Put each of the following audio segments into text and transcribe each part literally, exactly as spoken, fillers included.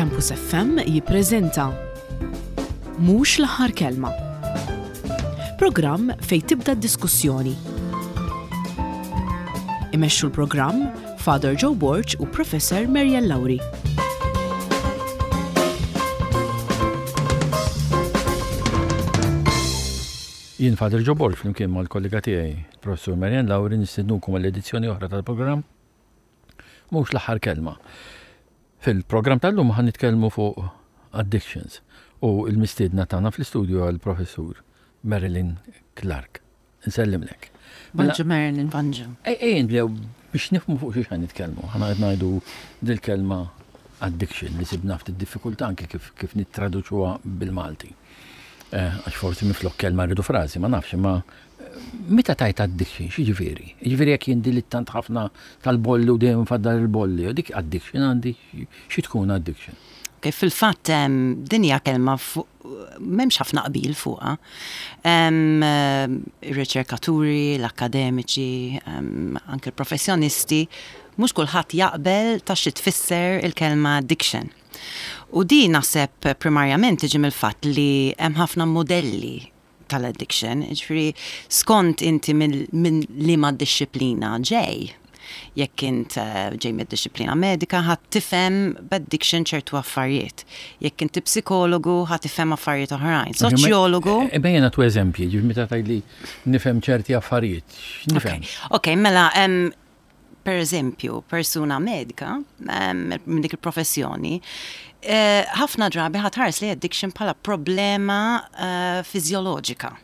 Campus F M jippreżenta Mhux l-aħħar kelma. Programm fejn tibda d-diskussjoni. Imexxu l-programm Father Joe Borg u Professor Mariel Lauri. Jien Father Joe Borg, flimkien mal-kollega tiegħi, Professur Marian Lauri, nistednukom għall-edizzjoni oħra tal-programm Mhux l-aħħar kelma. Fil-programm tal-lum ħa nitkellmu fuq addictions u l-mistiedna tagħna fl-istudju għall-Professur Marilyn Clark. Nsellimlek. Mela, Bonġu, Marilyn, bonġu. Ejja nibdew biex nifhmu fuq xiex ħa nitkellmu. Ħana qed ngħidu dil-kelma addiction li sibna ftit diffikultà anke kif kif nittraduċuha bil-Malti. Eh, Għax forsi minflok kelma rridu frażi, ma nafx, ma eh, meta tgħid addiction, x'jiġifieri? Jiġifieri jekk jien dilittant ħafna tal-bolli u dejjem faddal il-bolli, u dik addiction għandi, xi tkun addiction? Okay, fil-fatt em, din hija kelma fuq m'hemmx ħafna qbil fuqha. Em, eh, Ir-riċerkaturi, l-akademiċi, em, anke l-professjonisti, mhux kulħadd jaqbel ta' xi tfisser il-kelma addiction. U di naħseb primarjament tiġi mill-fatt li hemm ħafna modelli tal-addiction, ġifieri skont inti minn min liema dixxiplina ġej. Jekk int eh, ġej mid-dixxiplina medika, ħa tifhem b'addiction ċertu affarijiet. Jekk inti psikologu, ħa tifhem affarijiet oħrajn. Soċjologu. Ejja nagħtu eżempji, ġifieri meta tgħidli nifhem ċerti affarijiet, x'nifhem? Ok, mela, em, per eżempju, persuna medika em, minn dik il-professjoni, eh, ħafna drabi ħa tħares li addiction bħala problema eh, fiżjoloġika.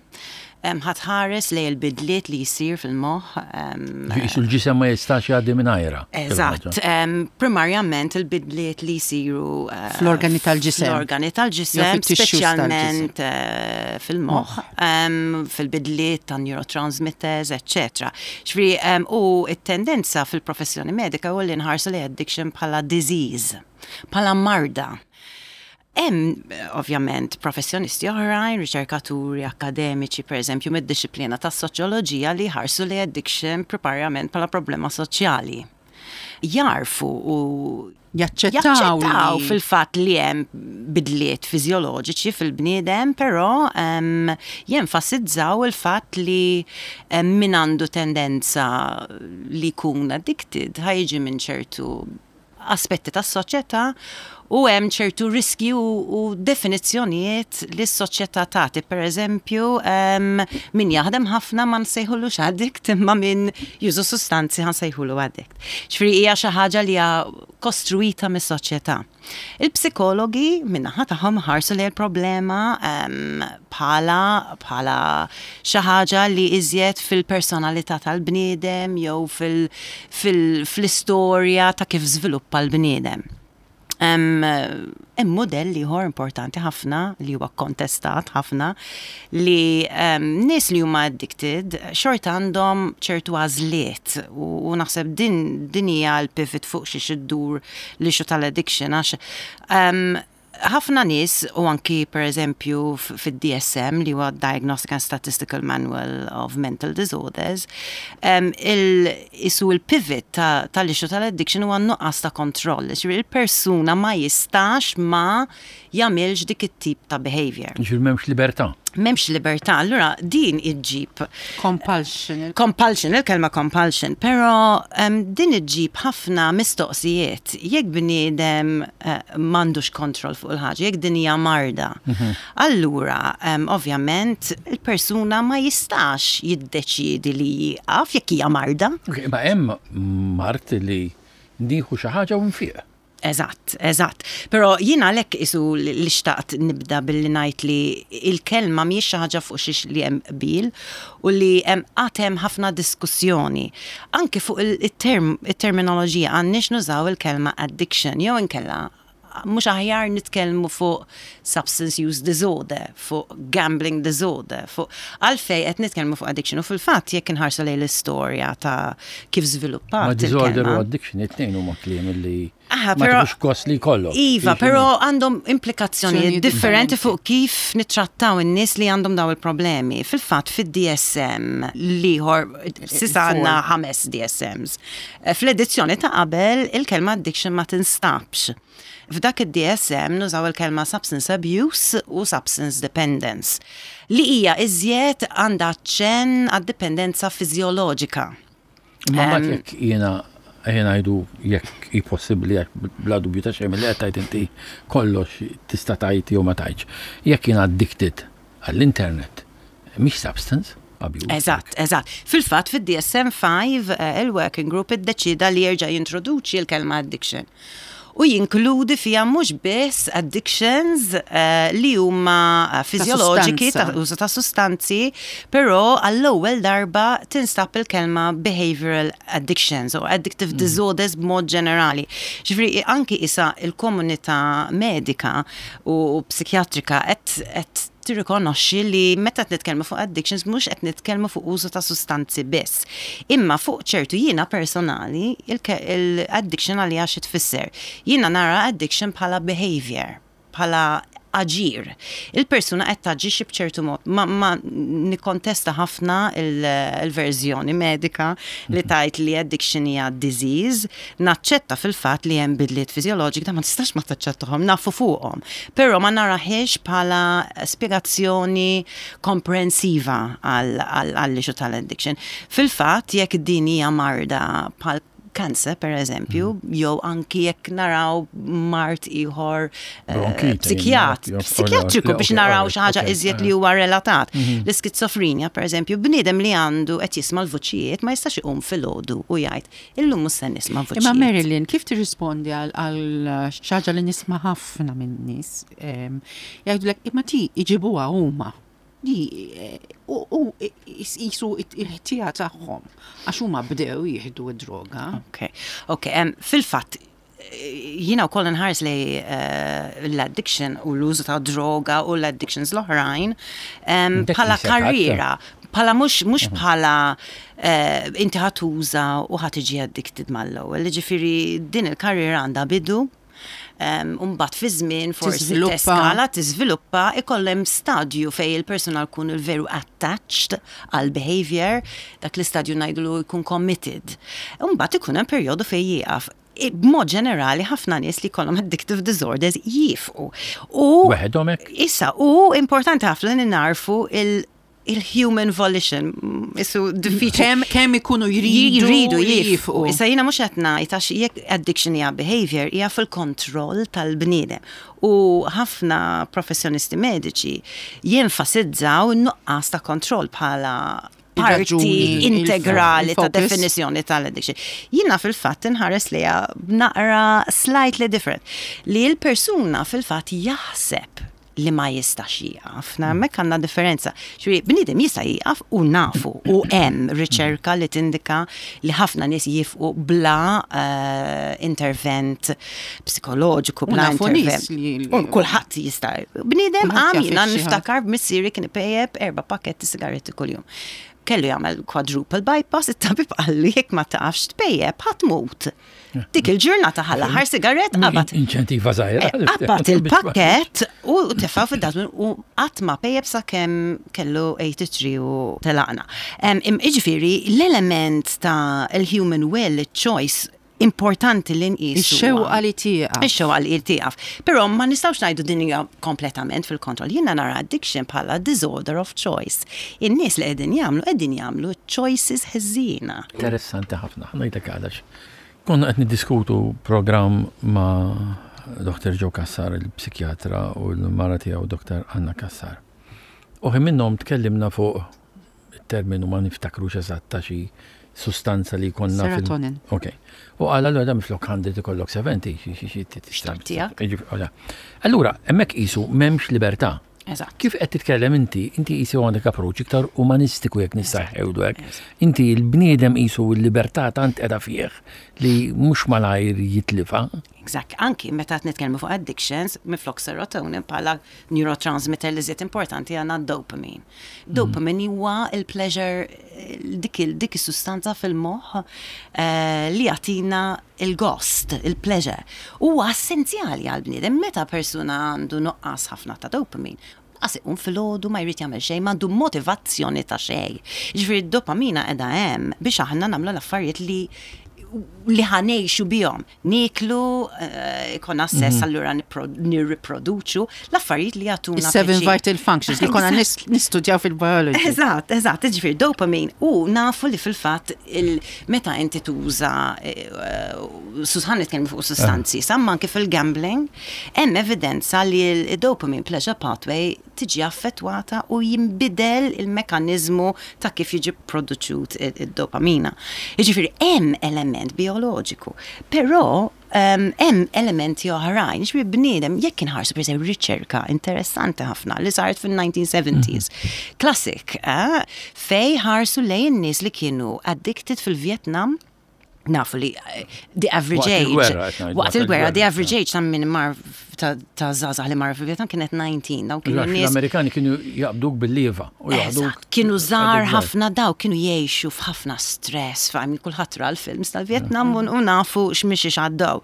Em, Ħa tħares li l-bidliet li jisir fil-moħħ. em, Qisu l-ġisem ma jistax jgħaddi mingħajrha. Eżatt, em, primarjament il-bidliet li jisiru eh, Fl-organi tal-ġisem. Fl-organi tal-ġisem, Jew fit-tissues speċjalment eh, fil-moħħ, em, fil-bidliet ta' neurotransmitters, eccetera. Ġifieri, em, u it-tendenza fil-professjoni medika u li nħarsu li addiction bħala disease, bħala marda. Hemm eh, ovvjament professjonisti oħrajn, riċerkaturi, akademiċi, per eżempju, mid-dixxiplina tas-soċjoloġija li ħarsu li addiction primarjament bħala problema soċjali. Jarfu u Jaċċettaw jaċċettaw li- fil-fatt li hemm bidliet fiżjoloġiċi fil-bniedem, però um, jenfasizzaw il-fatt li um, min għandu tendenza li jkun addicted ħa jiġi minn ċertu aspetti tas-soċjetà u hemm ċertu riski u, u definizzjonijiet li s-soċjetà tagħti. Per eżempju, um, min jaħdem ħafna ma nsejħulux addict, imma min juża sustanzi ħa nsejħulu addict. Ġifieri hija xi ħaġa li hija kostruita mis-soċjetà. Il-psikologi min-naħa tagħhom ħarsu li l-problema um, bħala bħala xi ħaġa li iżjed fil-personalità tal-bniedem jew fil- fil- fl-istorja ta' kif żviluppa l-bniedem. Hemm hemm modell ieħor importanti ħafna li huwa kontestat ħafna li um, nies li huma addicted xorta għandhom ċertu għażliet u, u naħseb din din hija l-pivot fuq xi iddur l-issue tal-addiction, għax um, ħafna nies, u anki per eżempju f- fid-D S M, li huwa Diagnostic and Statistical Manual of Mental Disorders, um, il, isu il-pivot ta- tal-issue tal-addiction huwa nuqqas ta' kontroll. Ġifieri il-persuna ma jistax ma jagħmilx dik it-tip ta' behavior. Ġifieri m'hemmx libertà. M'hemmx libertà. Allura din iġġib Compulsion. Compulsion, il-kelma compulsion, pero um, din iġġib ħafna mistoqsijiet. Jekk bniedem uh, m'għandux kontroll fuq il-ħaġa, jekk din hija marda, allura um, ovvjament il-persuna ma jistax jiddeċiedi li jieqaf jekk hija marda. Ok, ma hemm mard li nieħu xi ħaġa u nfiq. Eżatt, eżatt. Pero jiena għalhekk isu li li xtaqt nibda billi ngħid li il-kelma mhijiex xi ħaġa fuq xiex li hemm qbil u li hemm qatt hemm ħafna diskussjoni. Anke fuq il-term il-terminoloġija, għandniex nużaw il-kelma addiction jew inkella mhux aħjar nitkellmu fuq substance use disorder, fuq gambling disorder, fuq għalfej qed nitkellmu fuq addiction? U fil-fatt jekk inħarsu lejn l-istorja ta' kif żviluppat Ma disorder il-kelma. U addiction it-tnejn huma kliem li Ah, Aha, Ma però tieħux gost li jkollok. Iva, però għandhom implikazzjonijiet Azzjonijiet differenti differenti. fuq kif nittrattaw in-nies li għandhom daw il-problemi. Fil-fatt fid-D S M l-ieħor, s'issa għandna ħames D S Ms. Eh, Fl-edizzjoni ta' qabel il-kelma addiction ma tinstabx. F'dak id-D S M nużaw il-kelma substance abuse u substance dependence li hija iżjed għandha ċen għad-dipendenza fiżjoloġika. Ma mbagħad jekk jiena jiena ngħidu, jekk hi possibbli, jekk bla dubju ta' xejn li qed tgħid inti kollox tista' tgħid jew ma tgħidx. Jekk jiena addicted għall-internet, mhix substance abuse. Eżatt, eżatt. Fil-fatt, fid-D S M five eh, il-working group iddeċida li jerġa' jintroduċi l-kelma addiction. U jinkludi fija mhux biss addictions eh, li huma eh, fiżjoloġiki ta' sustanza. Użu ta' sustanzi, però għall-ewwel darba tinstab il-kelma behavioral addictions u addictive disorders b'mod ġenerali. Ġifieri anki issa il-komunità medika u psikjatrika qed qed tirrikonoxxi li meta qed nitkellmu fuq addictions mhux qed nitkellmu fuq użu ta' sustanzi biss. Imma fuq ċertu jiena personali il-addiction għalija xi tfisser? Jiena nara addiction bħala behavior, bħala aġir. Il-persuna qed taġixxi b'ċertu mod. Ma, ma nikkontesta ħafna il- il-verżjoni medika li tgħid li addiction hija disease. Naċċetta fil-fatt li hemm bidliet fiżjoloġiki, da ma tistax ma taċċettahom, nafu fuqhom. Però ma naraħiex bħala spjegazzjoni komprensiva għall-issue tal-addiction. Fil-fatt, jekk din hija marda bħal cancer, per eżempju, jew anki jekk naraw mard ieħor eh, Bronkite, psikjat, jew- psikjatriku biex ok, naraw alright, xi ħaġa ok, iżjed eh. li huwa relatat. L-iskizofrenja, per eżempju, bniedem li għandu qed jisma' l-vuċijiet ma jistax iqum filgħodu u jgħid illum mhux se nisma' vuċijiet. Imma Marilyn, kif tirrispondi għal għal xi ħaġa li nisma' ħafna minn nies? em, Jgħidulek imma ti iġibuha huma. Di eh, u u jisu il-ħtija tagħhom għax huma bdew jieħdu d-droga. Ok, ok, em, fil-fatt, eh, jiena wkoll nħares li eh, l-addiction u l-użu ta' droga u l-addictions l-oħrajn em, Dak bħala jisek karriera, bħala mhux mhux bħala eh, inti ħa tuża u ħa tiġi addicted mal-ewwel. Ġifieri din il-karriera għandha bidu, Um, Umbat fi żmien forsi Tiżviluppa. teskala, tiżviluppa, ikollem stadju fej il-persuna jkun il-veru attached għal behavior, dak l-istadju ngħidulu jkun committed. Umbat ikun hemm perjodu fej jieqaf. I- B'mod ġenerali ħafna nies li jkollhom addictive disorders jifqu. U Weħedhom hekk? Issa, u importanti ħafna li narfu il- il-human volition, isu diffiċli. Kemm kemm ikunu jridu Jridu jifqu. jifqu. Issa jiena mhux qed ngħid, għax jekk addiction hija behavior, hija fil-kontroll tal-bniedem. U ħafna professjonisti mediċi jenfasizzaw n-nuqqas ta' kontroll bħala parti Ir-raġuni, integrali ta' il-focus. definizjoni tal-addiction. Jiena fil-fatt inħares li naqra slightly different. Li l-persuna fil-fatt jaħseb li ma jistax jieqaf. Na, hemmhekk għandna differenza. Ġifieri, bniedem jista' jieqaf u nafu u hemm riċerka li tindika li ħafna nies jifqu bla eh, intervent psikoloġiku, U bla nafu nies intervent. li- U kulħadd jista'. Bniedem Kulħadd għam jaf jiena xi ħadd. niftakar b'missieri kien ipejjeb erba' pakketti sigaretti kuljum. Kellu jagħmel quadruple bypass, it-tabib qalli jekk ma tafx tpejjeb ħa tmut. Dik il-ġurnata ħa l-aħħar sigarett qabad. Inċentiva żgħira. Eh, Qabad il-pakket u tefa' fid-dustbin u qatt ma pejjeb sakemm kellu tmienja u tmenin u telaqna. Em, im- Iġifieri l-element ta' il-human will, il-choice, importanti li nqisu. Ix-xewqa li tieqaf. Ix-xewqa li tieqaf. Però ma nistgħux ngħidu din hija kompletament fil-kontroll. Jiena nara addiction bħala disorder of choice. In-nies li qegħdin jagħmlu qegħdin jagħmlu choices ħżiena. Interessanti ħafna, ngħidlek għalax. Konna qed niddiskutu programm ma' Doktor Joe Cassar, il-psikjatra, u l-mara tiegħu Doktor Anna Cassar. U ħin minnhom tkellimna fuq il-terminu, ma niftakrux eżatt, ta' xi sustanza li konna fil- Serotonin. Ok. U għal allura da minflok mija ikollok sebgħin, xi xi xi tista' Tiegħek. Allura, hemmhekk qisu m'hemmx libertà. Eżatt. Kif qed titkellem inti, inti qisu għandek approach iktar umanistiku, jekk nista' ngħidu hekk. Inti l-bniedem qisu l-libertà tant qiegħda fih li mhux malajr jitlifa. Exact. Anki meta qed nitkellmu fuq addictions, minflok serotonin bħala neurotransmitter li żied importanti għandna dopamine. Dopamine huwa il-pleasure, dik il- dik is-sustanza fil-moħħ eh, li jagħtina il-gost, il-pleasure. Huwa essenzjali għal-bniedem meta persuna għandu nuqqas ħafna ta' dopamine. Għas iqum filgħodu ma jrid jagħmel xejn, m'għandu motivazzjoni ta' xejn. Ġifieri d-dopamina qiegħda hemm biex aħna nagħmlu l-affarijiet li li ħa ngħixu bihom. Nieklu, eh, ikun assess allura nipro- nirriproduċu l-affarijiet li jagħtuna Is-seven pjaċir. vital functions li konna nis- nistudjaw fil-biology. Eżatt, eżatt, ġifieri dopamine. U nafu li fil-fatt il- meta inti tuża, ħa nitkellmu fuq sustanzi, samma anke fil-gambling, hemm evidenza li il-dopamine pleasure pathway tiġi affettwata u jimbidel il-mekanizmu ta' kif jiġi produċut id-dopamina. Jiġifieri hemm element bioloġiku, però um, hemm elementi oħrajn, ġifieri bniedem jekk inħarsu per eżempju riċerka interessanti ħafna li saret fil-nineteen seventies. Classic, eh? Fej ħarsu lejn nies li kienu addicted fil-Vietnam. Nafu li eh, the average Waqt age il-gwerra, qed ngħidu, waqt il-gwerra, the il-gwerra, average age ta' min mar ta' ta' żgħażagħ li mar fil-Vietnam kienet tmintax. Daw kienu Għax nies l-Amerikani kienu jaqbduk bil-lieva u jaħduk. Eżatt, kienu żgħar għadek ħafna daw, kienu jgħixu f'ħafna stress, fahim kulħadd ra l-films tal-Vietnam u u nafu x'mixi għaddew.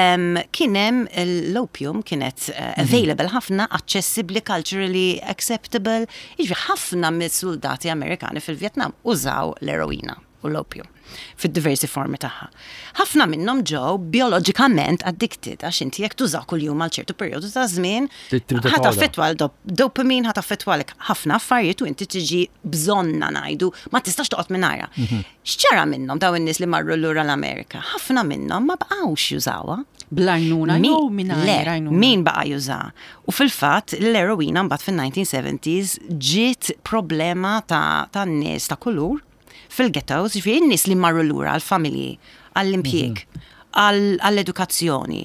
Um, Kien hemm l-opium kienet uh, available ħafna, accessibbli, culturally acceptable, jiġifieri ħafna mis-soldati Amerikani fil-Vietnam użaw l-eroina u l-opium fid-diversi formi tagħha. Ħafna minnhom ġew bioloġikament addicted għax inti jekk tuża kuljum għal ċertu perjodu ta' żmien, Trid trid ħa toqgħodha. taffettwa l-dopamine, ħa taffettwalek ħafna affarijiet u inti tiġi bżonna ngħidu, ma tistax toqgħod mingħajrha. X'ġara minnhom daw in-nies li marru lura l-Amerika? Ħafna minnhom ma baqgħux jużawha. Bl-għajnuna Min- jew Le, mingħajr għajnuna? min baqa juża. U fil-fatt l-eroina mbagħad fin-nineteen seventies ġiet problema ta' ta' nies ta' kulur fil-ghettos, ġifieri n-nies li marru lura għall-familji, għall-impjieg, għall-edukazzjoni.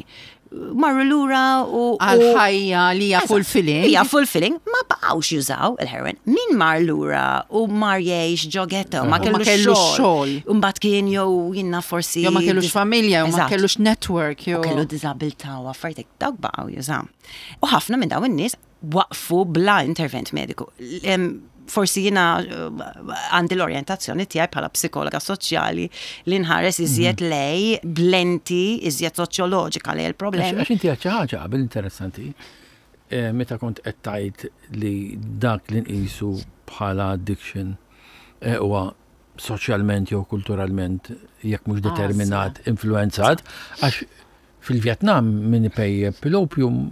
Marru lura u u- Għal-ħajja li hija fulfilling. Hija fulfilling, ma baqgħux jużaw il-heroin. Min mar lura u mar jgħix ġo ghetto, ma U ma kellux kellux xogħol. xogħol. U mbagħad kien jew jiena forsi Jew ma kellux familja, jew ma Eżatt. kellux network, jew. U kellu diżabilità u affarijiet dawk baqgħu jużaw. U ħafna minn dawn in-nies waqfu bla intervent mediku. Em, Forsi jiena eh, għandi l-orjentazzjoni tiegħi bħala psikologa soċjali li nħares iżjed lej b'lenti iżjed soċjoloġika lej il-problemi. Għax inti għedt xi ħaġa qabel interessanti, eh, meta kont qed tgħid li dak li nqisu bħala addiction eh, huwa soċjalment jew kulturalment jekk mhux determinat, influenzat, għax fil-Vjetnam min ipejjep l-opium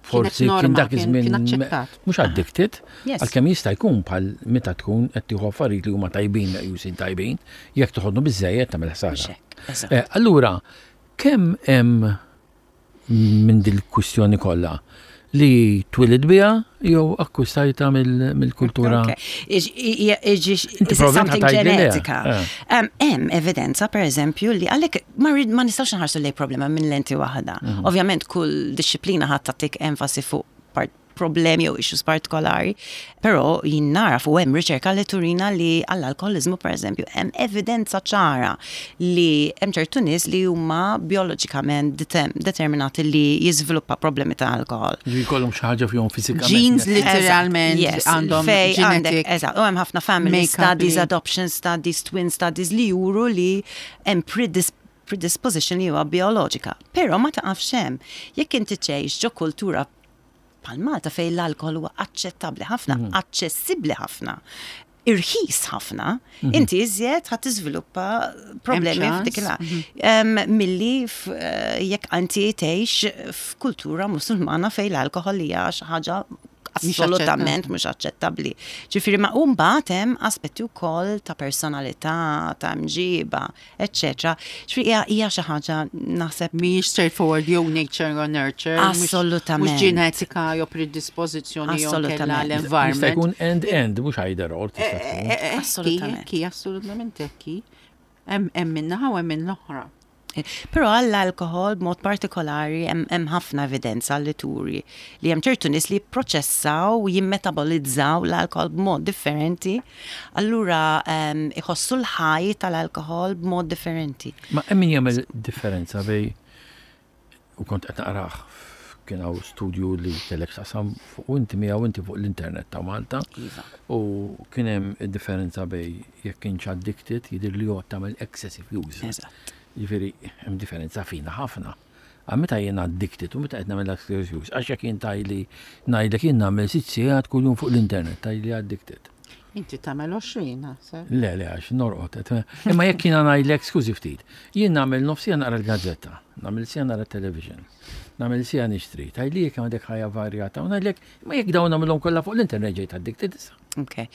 forsi Kienet kien norma, dak kien- iż-żmien kien aċċettat. mhux addicted, Yes. għalkemm jista' jkun bħal meta tkun qed tieħu affarijiet li huma tajbin meqjusin tajbin, jekk toħodnu biżejjed tagħmel ħsara. Mhux hekk, eżatt. Eh, Allura, kemm hemm minn dil-kwistjoni kollha li twilid biha jew akkwistajta mill- mill-kultura? Okay. Iġ- i- iġi- Inti Is it probably something ħa tgħidli le. ġenetika? Eh. Um, Hemm evidenza, per eżempju, li għalek ma rrid- ma nistax nħarsu lej problema minn lenti waħda. Mhm. Ovvjament kull disċiplina ħadd tagħtik enfasi fuq part problemi jew issues partikolari, però jien naraf u hemm riċerka li turina li għall-alkoholizmu per eżempju hemm evidenza ċara li hemm ċertu nies li huma bioloġikament detem- determinati li jiżviluppa problemi ta' alkohol. Ġi jkollhom xi ħaġa fihom fiżikament. Genes literalment Yes, għandhom fej għandek, genetic eżatt, u hemm ħafna family make-up studies, li- adoption studies, twin studies li juru li hemm predis predisposition li huwa bioloġika. Però ma taqafx hemm. Jekk inti tgħix ġo kultura bħal Malta fejn l-alkohol huwa aċċettabbli ħafna, aċċessibbli ħafna, irħis ħafna, inti iżjed ħadd tiżviluppa problemi ċans. f'dik il Em, Milli f- eh, jekk inti tgħix f'kultura Musulmana fejn l-alkohol hija xi ħaġa assolutament mhux aċċettabbli. Ġifieri ma mbagħad hemm aspetti wkoll ta' personalità, ta' mġiba, eċċetera. Ġifieri hija hija xi ħaġa naħseb Mhijiex straightforward jew nature jew nurture. mhux- Assolutament. Mhux ġenetika jew predispożizzjoni jew kella Assolutament. Jista' l-environment. jkun end-end, mhux either or tista' tkun. Eh, eh, Assolutament. Ekki, assolutament ekki. Hemm hemm min-naħa u hemm minn l-oħra. Però għall-alkohol b'mod partikolari hemm hemm ħafna evidenza li turi li hemm ċertu nies li jipproċessaw u jimmetabolizzaw l-alkohol b'mod differenti. Allura em, iħossu l-ħaj tal-alkohol b'mod differenti. Ma hemm min jagħmel differenza bej u kont qed naqrah, kien hawn studju li kellek taqsam fuq inti miegħu inti fuq l-internet ta' Malta. Iva. U kien hemm differenza bejn jekk kienx addicted, jidher li huwa tagħmel excessive use. Eżatt. Jiġifieri hemm differenza fina ħafna. Għax meta jien addicted u meta qed nagħmel excessive use, għax jekk jien tgħidli, ngħidlek jien nagħmel sitt sigħat kuljum fuq l-internet, tgħidli addicted. Inti tagħmel għoxrin, naħseb. Le, le, għax norqod. Imma jekk jiena ngħidlek, skużi ftit, jien nagħmel nofs siegħa naqra l-gazzetta, nagħmel siegħa nara television, nagħmel siegħa nixtri, tgħidli jekk għandek ħajja varjata, u ngħidlek, imma jekk dawn nagħmilhom kollha fuq l-internet ġejt addicted issa. Ok.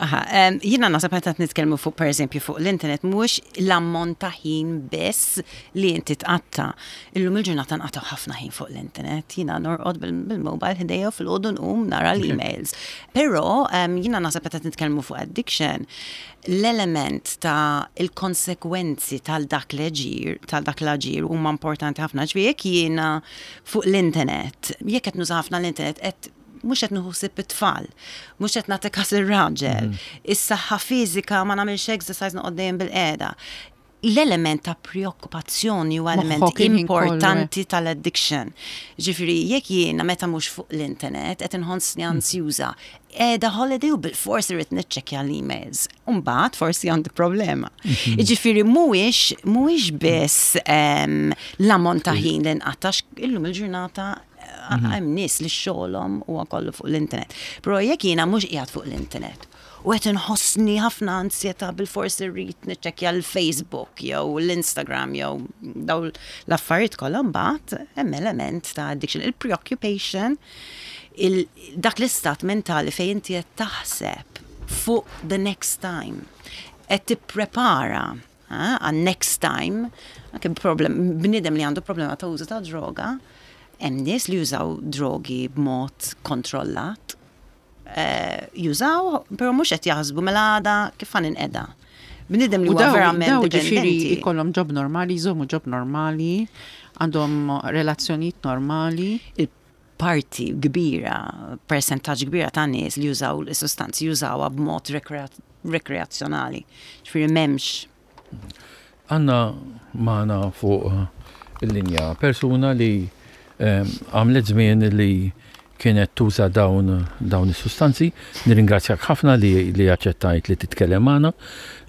Aha, um, jiena naħseb meta nitkellmu fuq, per eżempju, fuq l-internet, mhux l-ammont ta' ħin biss li inti tqatta. Illum il-ġurnata nqattaw ħafna ħin fuq l-internet. Jiena norqod bil-mobile ħdejja, filgħodu nqum nara l-emails. Però um, jiena naħseb meta nitkellmu fuq addiction, l-element ta' il-konsekwenzi tal-dak l-aġir, tal-dak l-aġir huma importanti ħafna. Ġifieri jekk jiena fuq l-internet, jekk qed nuża ħafna l-internet, qed mhux qed nieħu ħsieb it-tfal, mhux qed nagħti kas ir-raġel, is-saħħa fiżika, ma nagħmilx exercise, noqgħod dejjem bil-qiegħda. L-element ta' preokkupazzjoni huwa element Moħħok il-ħin kollu, eh. importanti tal-addiction. Ġifieri, jekk jiena meta mhux fuq l-internet qed inħossni ansjuża, qiegħda holiday u bil-forsi rrid niċċekkja l-emails. Umbagħad forsi għandi problema. Ġifieri mhuwiex mhuwiex biss em, l-ammont ta' ħin li nqattax illum il-ġurnata, hemm nies li xogħolhom huwa kollu fuq l-internet. Però jekk jiena mhux qiegħed fuq l-internet u qed inħossni ħafna ansjetà, bil-forsi rrid niċċekkja l-Facebook jew l-Instagram jew daw l-affarijiet kollha, mbagħad hemm element ta' addiction. Il-preoccupation, il dak l-istat mentali fejn inti qed taħseb fuq the next time. Qed tipprepara ah, għan next time, anke problem, bniedem li għandu problema ta' użu ta' droga, hemm nies li jużaw drogi b'mod kontrollat. Eh, jużaw, però mhux qed jaħsbu mela għada kif ħa ninqeda. Bniedem li U huwa daw, verament daw ġifieri dipendenti. ikollhom job normali, jżommu job normali, għandhom relazzjonijiet normali. Il-parti kbira, percentaġġ kbira ta' nies li jużaw l-sustanzi jużawha b'mod rekrea- rekreazzjonali. Ġifieri m'hemmx Għandna magħna fuq eh, il-linja persuna li eh, għamlet żmien li kienet tuża dawn dawn is-sustanzi. Nirringrazzjak ħafna li li aċċettajt li titkellem magħna.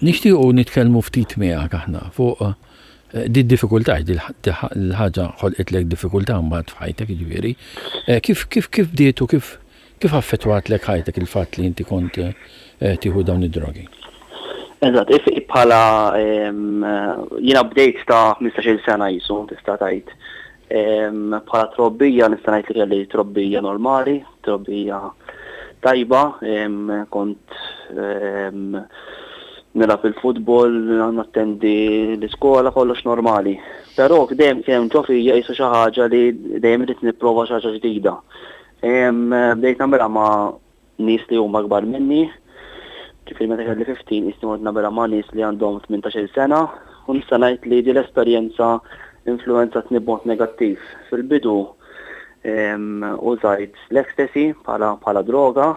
Nixtiequ nitkellmu ftit miegħek aħna fuq eh, di diffikultà, di l-ħaġa ħolqitlek diffikultà mbagħad f'ħajtek jiġifieri. Eh, Kif kif kif bdiet u kif kif affettwatlek ħajtek il-fatt li inti kont eh, tieħu dawn id-drogi? Eżatt, if bħala em, jiena bdejt ta' ħmistax-il sena jisu, tista' tgħid. Em, Bħala trobbija nista' ngħid li kelli trobbija normali, trobbija tajba, em, kont em, nilgħab il-futbol, nattendi l-iskola, kollox normali. Però dejjem kien hemm ġo fija jisu xi ħaġa li dejjem irid nipprova xi ħaġa ġdida. Em, Bdejt nagħmilha ma' nies li huma akbar minni, ġifieri meta kelli ħmistax jisni mort nagħmilha ma' nies li għandhom tmintax-il sena u nista' ngħid li di l-esperjenza influenzatni b'mod negattiv. Fil-bidu em, użajt l-ecstasy bħala bħala droga.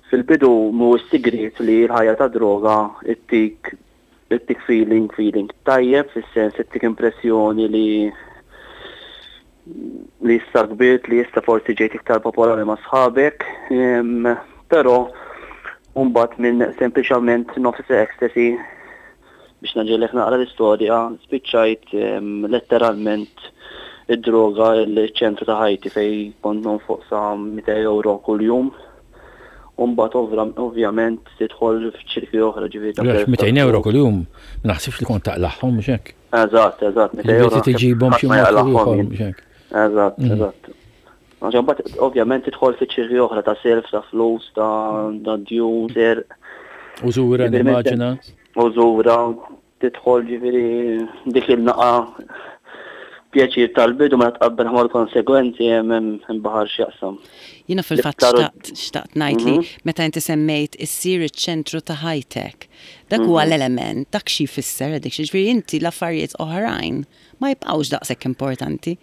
Fil-bidu mhu sigriet li l-ħajja ta' droga ittik ittik feeling feeling tajjeb, fis-sens ittik impressjoni li li issa kbirt, li issa forsi ġejt iktar popolari ma' sħabek, em, però mbagħad minn sempliċament nofs ecstasy, biex ngħaġġellek naqra l-istorja, spiċċajt em, letteralment id-droga il-ċentru ta' ħajti fejn kont nonfoq sa mitejn euro kuljum. Umbagħad ovvjament tidħol f'ċirki oħra, ġifieri ta' Għax mitejn euro kuljum, ma naħsibx li kont taqlagħhom, mhux hekk? Eżatt, eżatt, mitejn euro. Ġifieri tiġibhom xi ħadd ma mod jaqlagħhom ieħor, jien. mhux hekk? Eżatt, eżatt. Għax mbagħad ovvjament tidħol fi ċirki oħra ta' self, ta' flus, ta' ta' djun, ser. Użura, Ġifieri nimmaġina. Użura, tidħol ġifieri dik il-naqa pjaċir tal-bidu ma tqabbel mal konsegwenzi hemm hemm baħar x'jaqsam. Jiena fil-fatt L-iktar- xtaqt xtaqt ngħid li meta inti semmejt issir iċ-ċentru ta' ħajtek. Dak huwa l-element, dak xi jfisser addiction. Ġifieri inti l-affarijiet oħrajn ma jibqgħux daqshekk importanti.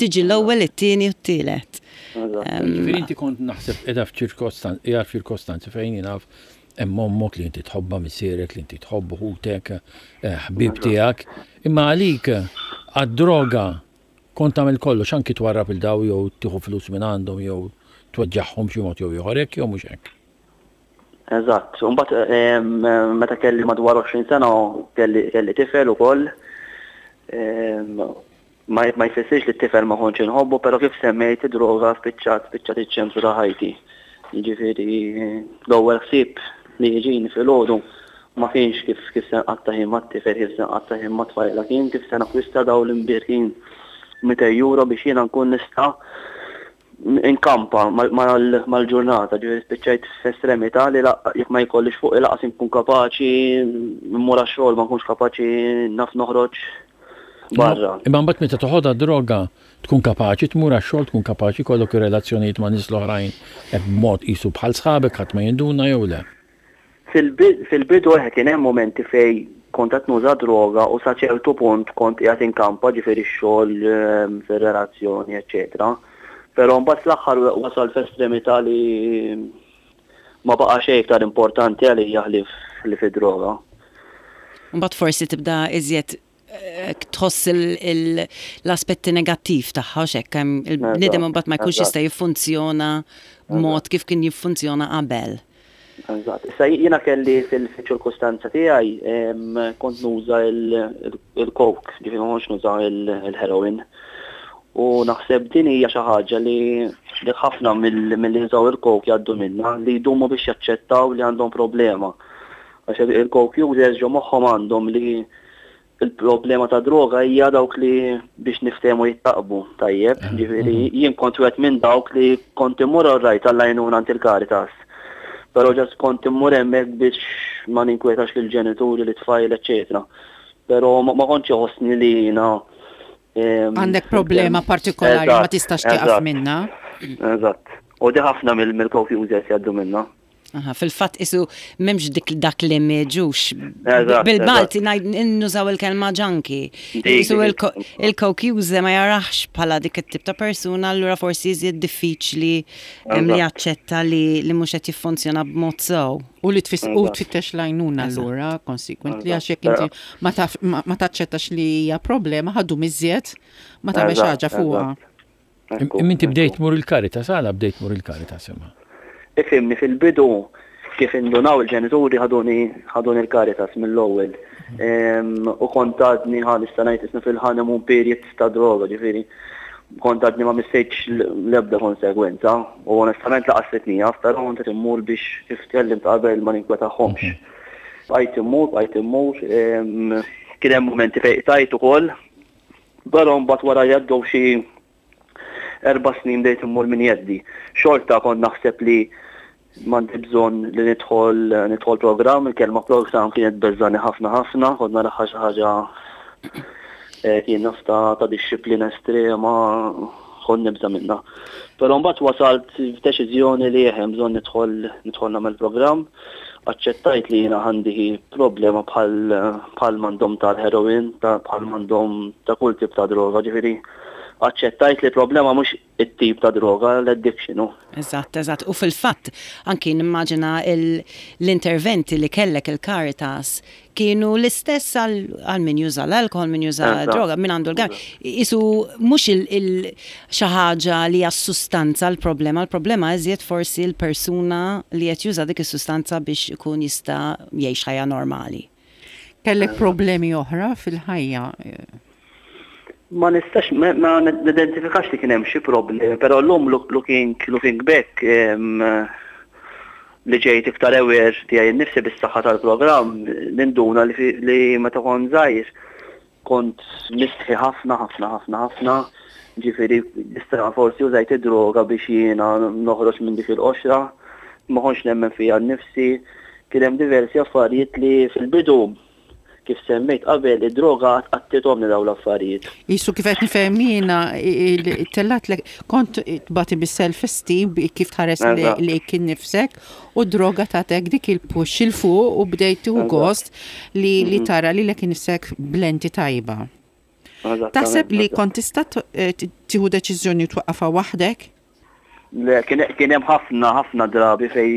Tiġi l-ewwel, it-tieni u t-tielet. Eżatt. Ġifieri inti kont naħseb qiegħda f'ċirkostanzi, qiegħda f'ċirkostanzi fejn jien naf hemm ommok li inti tħobbha, missierek li inti tħobbu, ħutek, eh, ħbib tiegħek, imma għalik għad-droga kont tagħmel kollox, anki twarrab 'il daw jew tieħu flus minn għandhom jew tweġġagħhom xi mod jew ieħor, hekk jew mhux hekk? Eżatt, mbagħad meta kelli madwar għoxrin sena kelli kelli tifel ukoll. Ma ma jfissirx li t-tifel ma kontx inħobbu, però kif semmejt, id-droga spiċċat spiċċat iċ-ċentru ta' ħajti. Jiġifieri l-ewwel ħsieb li jiġini filgħodu ma kienx kif kif se nqatta' ħin mat-tifel, kif se nqatta' ħin mat-tfajla, kien kif se nakwista dawn l-imbierkin mitejn euro biex jiena nkun nista' inkampa mal-ġurnata. Ġifieri spiċċajt f'estremità li jekk ma jkollix fuq lanqas inkun kapaċi mmur għax-xogħol, ma nkunx kapaċi naf noħroġ barra. Imma mbagħad meta toħodha droga tkun kapaċi tmur għax-xogħol, tkun kapaċi jkollok ir-relazzjonijiet ma' nies l-oħrajn hekk b'mod qisu bħal sħabek, ħadd ma jinduna jew le? Fil-bidu kien hemm momenti fej kont qed nuża droga u sa ċertu punt kont qiegħed inkampa, ġifieri x-xogħol, ehm, fir-relazzjoni, eċċetera. Però mbagħad fl-aħħar wasal f'estremità li ma baqa' xejn iktar importanti għalija ħlief li fid-droga. Mbagħad forsi tibda iżjed eh, tħoss l-aspetti negattiv tagħha u hekk hemm il-bniedem mbagħad ma jkunx jista' jiffunzjona b'mod kif kien jiffunzjona qabel. Eżatt. Issa jiena kelli fil-ċirkustanza tiegħi kont nuża il-coke, ġifieri ma kontx nuża il-heroin. U naħseb din hija xi ħaġa li ħafna mill-li jużaw il-coke jgħaddu minna, li jdumu biex jaċċettaw li għandhom problema. Għax il-coke users ġo moħħhom għandhom li il-problema ta' droga hija dawk li, biex niftehmu, jittaqbu tajjeb. Ġifieri jien kont wieħed minn dawk li kont immur rajt għall-għajnuna għand il-Caritas. Però just kont immur hemmhekk biex ma ninkwetax lill-ġenituri, lit-tfajl, eċċetera. Però ma kontx iħossni li jiena għandek problema partikolari ma tistax tieqaf minna. Eżatt. U di ħafna mill-coke users jgħaddu minna. Aha, fil-fatt isu m'hemmx dik dak li meġux. Bil-Malti nużaw il-kelma junkie. Isu il-coke user ma jarax bħala dik it-tip ta' persuna, allura forsi iżjed diffiċli li jaċċetta li li mhux qed jiffunzjona b'mod sew. U li tfittex l-għajnuna allura, consequently, għax jekk inti ma taċċettax li hija problema, ħa ddum iżjed ma tagħmel ħaġa fuqha. Imma inti bdejt tmur il-Caritas, għala bdejt tmur il-Caritas imma? Ifhimni, fil-bidu kif indunaw il-ġenituri ħaduni ħaduni il-Caritas mill-ewwel. U kont għadni, ħa nista' ngħid, isna fil-honeymoon period ta' droga, ġifieri kont għadni ma missejtx l-ebda konsegwenza u onestament lanqas naf, però kont qed immur biex, kif tkellimt qabel, ma ninkwetahomx. Bqajt immur, bqajt immur, kien hemm momenti fejn tajt ukoll, però mbagħad wara jgħaddew xi erba' snin bdejt immur minn jeddi. Xorta kont naħseb li m'għandi bżonn li nidħol nidħol programm, il-kelma programm kienet beżżagħni ħafna ħafna, kont naraha xi ħaġa eh, kien naf ta' ta' disċiplina estrema, kont nibża' minna. Però mbagħad wasalt f'deċiżjoni li hemm bżonn nidħol nidħol nagħmel programm, aċċettajt li jiena għandi problema bħal bħal m'għandhom tal-heroin, bħal m'għandhom ta' kull tip ta' droga, ġifieri aċċettajt li problema mhux it-tip ta' droga, l-addiction. Eżatt, eżatt. U fil-fatt, anki nimmaġina l-interventi li kellek il-Caritas kienu l-istess għal min juża l-alkohol, min juża droga, min għandu l-gang. Isu mhux xi ħaġa li hija sustanza l-problema, l-problema iżjed forsi l-persuna li qed juża dik is-sustanza biex ikun jista' jgħix ħajja normali. Kellek problemi oħra fil-ħajja? Ma nistax, ma nidentifikax li kien hemm xi problemi, però llum looking looking back, li ġejt iktar aware tiegħi nnifsi bis-saħħa tal-programm, ninduna li, li meta kont żgħir kont mistħi ħafna ħafna ħafna ħafna, ġifieri nista' forsi użajt id-droga biex jiena noħroġ minn dik il-qoxra, ma kontx nemmen fija nnifsi, kien hemm diversi affarijiet li fil-bidu, kif semmejt qabel, id-droga għattithomli daw l-affarijiet. Isu kif qed nifhem jiena, tellatlek, kont tbati bis-self esteem, kif tħares li kien nifsek, u droga tatek dik il-push 'il fuq u bdejt tieħu gost li li mhm. tara li lek nifsek b'lenti tajba. Taħseb li kont tista' eh, tieħu deċiżjoni twaqqafha waħdek? Le, kien hemm ħafna ħafna drabi fej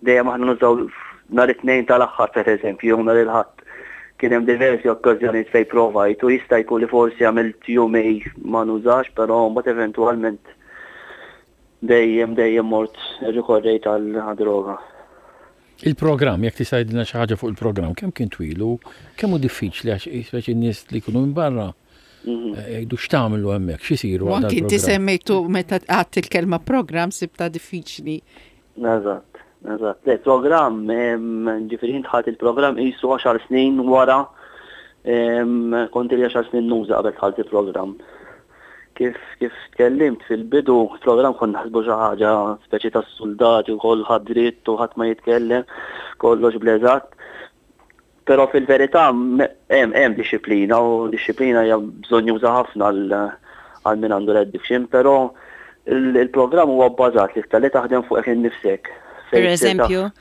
dejjem aħna nużaw nhar it-Tnejn tal-aħħar, pereżempju, jew nhar il-Ħadd. Kien hemm diversi okkażjonijiet fejn provajt u jista' jkun li forsi għamilt jumejn ma nużax, però mbagħad eventwalment dejjem dejjem mort rikorrejt għal droga. Il-programm, jekk tista' tgħidilna xi ħaġa fuq il-programm, kemm kien twil u kemm hu diffiċli, għax speċi n-nies li jkunu minn barra Mhm. eh, jgħidu x'tagħmlu hemmhekk, x'isiru U għal anki inti dal-programm. semmejtu meta għedt il-kelma program sibta diffiċli. Eżatt, eżatt. Le, program, em, ġifieri jien dħalt il-programm qisu għaxar snin wara, em, kont ili għaxar snin nuża qabel dħalt il-programm. Kif kif tkellimt fil-bidu, il-programm konna naħsbu xi ħaġa speċi tas soldati u kulħadd dritt u ħadd ma jitkellem, kollox bl-eżatt. Però fil-verità me- hemm hemm disciplina u disciplina hija bżonnjuża ħafna għal għal min għandu l-addiction, però il- il-programm huwa bbażat li li taħdem fuqek innifsek. Per Fejn issir taf- eżempju,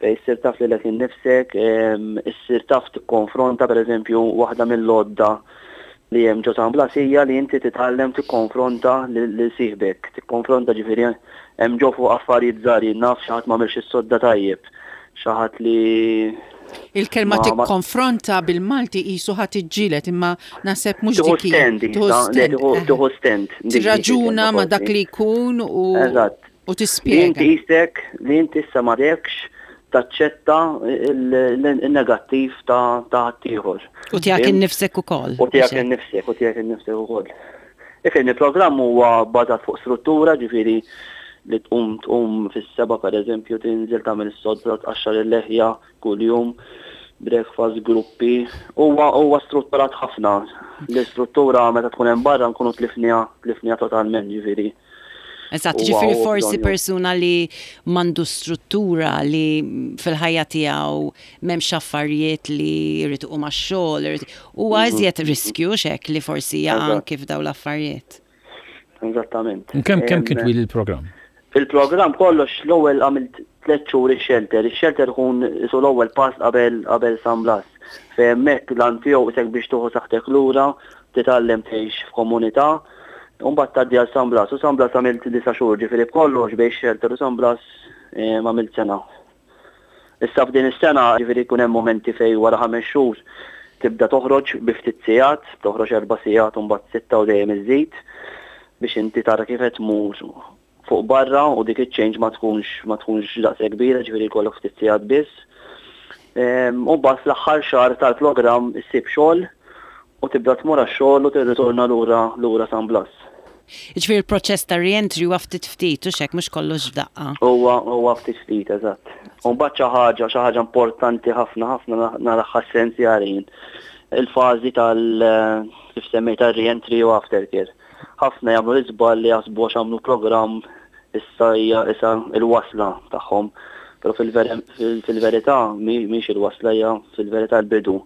Fejn issir taf lilek innifsek, em, issir taf tikkonfronta pereżempju waħda mill-għodda li hemm ġo San Blas hija li inti titgħallem tikkonfronta lil lil sieħbek, tikkonfronta, ġifieri hemm ġo fuq affarijiet żgħar, jien naf xi ħadd m'għamilx is-sodda tajjeb, xi ħadd li Il-kelma Ma- ma- tikkonfronta bil-Malti qisu ħadd iġġieled, imma naħseb mhux Tieħu dik hi. stand, Tieħu issa, le, stand, tieħu- eh. tieħu stand. Dik- dik Tirraġuna il-kelma ma dak forsi. li jkun u Eżatt. u Li tispjega. inti jistek, li inti issa ma rekx taċċetta il- il-negattiv ta' ta' ħaddieħor. U tiegħek innifsek ukoll. U tiegħek innifsek, u tiegħek innifsek ukoll. Ifhem, il-programm huwa bbażat fuq struttura, ġifieri li tqum tqum fis-seba per eżempju, tinżel, tagħmel is-sodda, tqaxxar il-leħja kuljum, breakfast, gruppi. Huwa huwa strutturat ħafna. L-istruttura meta tkun hemm barra nkunu tlifniha tlifniha totalment, ġifieri. Eżatt, Huwa ġifieri huwa forsi bżonju. persuna li m'għandu struttura li fil-ħajja tiegħu m'hemmx affarijiet li jrid iqum għax-xogħol, irid- huwa iżjed riskju xek li forsi jaqa' Eżatt. kif daw l-affarijiet. Eżattament. Kemm kemm kien Em, twil il-programm? Il-programm kollox, l-ewwel għamilt tliet xhur ix-shelter. Ix-shelter ikun isu l-ewwel pass qabel qabel San Blas. Fejn hemmhekk l-għan tiegħu isek biex tieħu saħħtek lura, titgħallem tgħix f'komunità, u mbagħad tgħaddi għal San Blas. U San Blas għamilt disa' xhur, ġifieri b'kollox bejn shelter u San Blas eh, għamilt sena. Issa f'din is-sena, ġifieri jkun hemm momenti fejn wara ħames xhur tibda toħroġ bi ftit sigħat, toħroġ erba' sigħat u mbagħad sitta u dejjem iżid biex inti tara kif qed tmur fuq barra u dik iċ-change ma tkunx ma tkunx daqshekk kbira, ġifieri jkollok ftit sigħat biss. Ehm, U mbagħad fl-aħħar xahar tal-programm issib xogħol u tibda tmur għax-xogħol u tirritorna lura lura San Blas. Ġifieri il-proċess ta' re-entry huwa ftit ftit u xek mhux kollox f'daqqa. Huwa huwa ftit ftit, eżatt. U mbagħad xi ħaġa xi ħaġa importanti ħafna ħafna naraha essenzjali jien. Il-fażi tal kif semmejt tar-re-entry u aftercare. Ħafna jagħmlu l-iżball li jaħsbu għax għamlu programm issa hija issa il-wasla tagħhom. Però fil-verità mhix il-wasla, hija fil-verità l-bidu.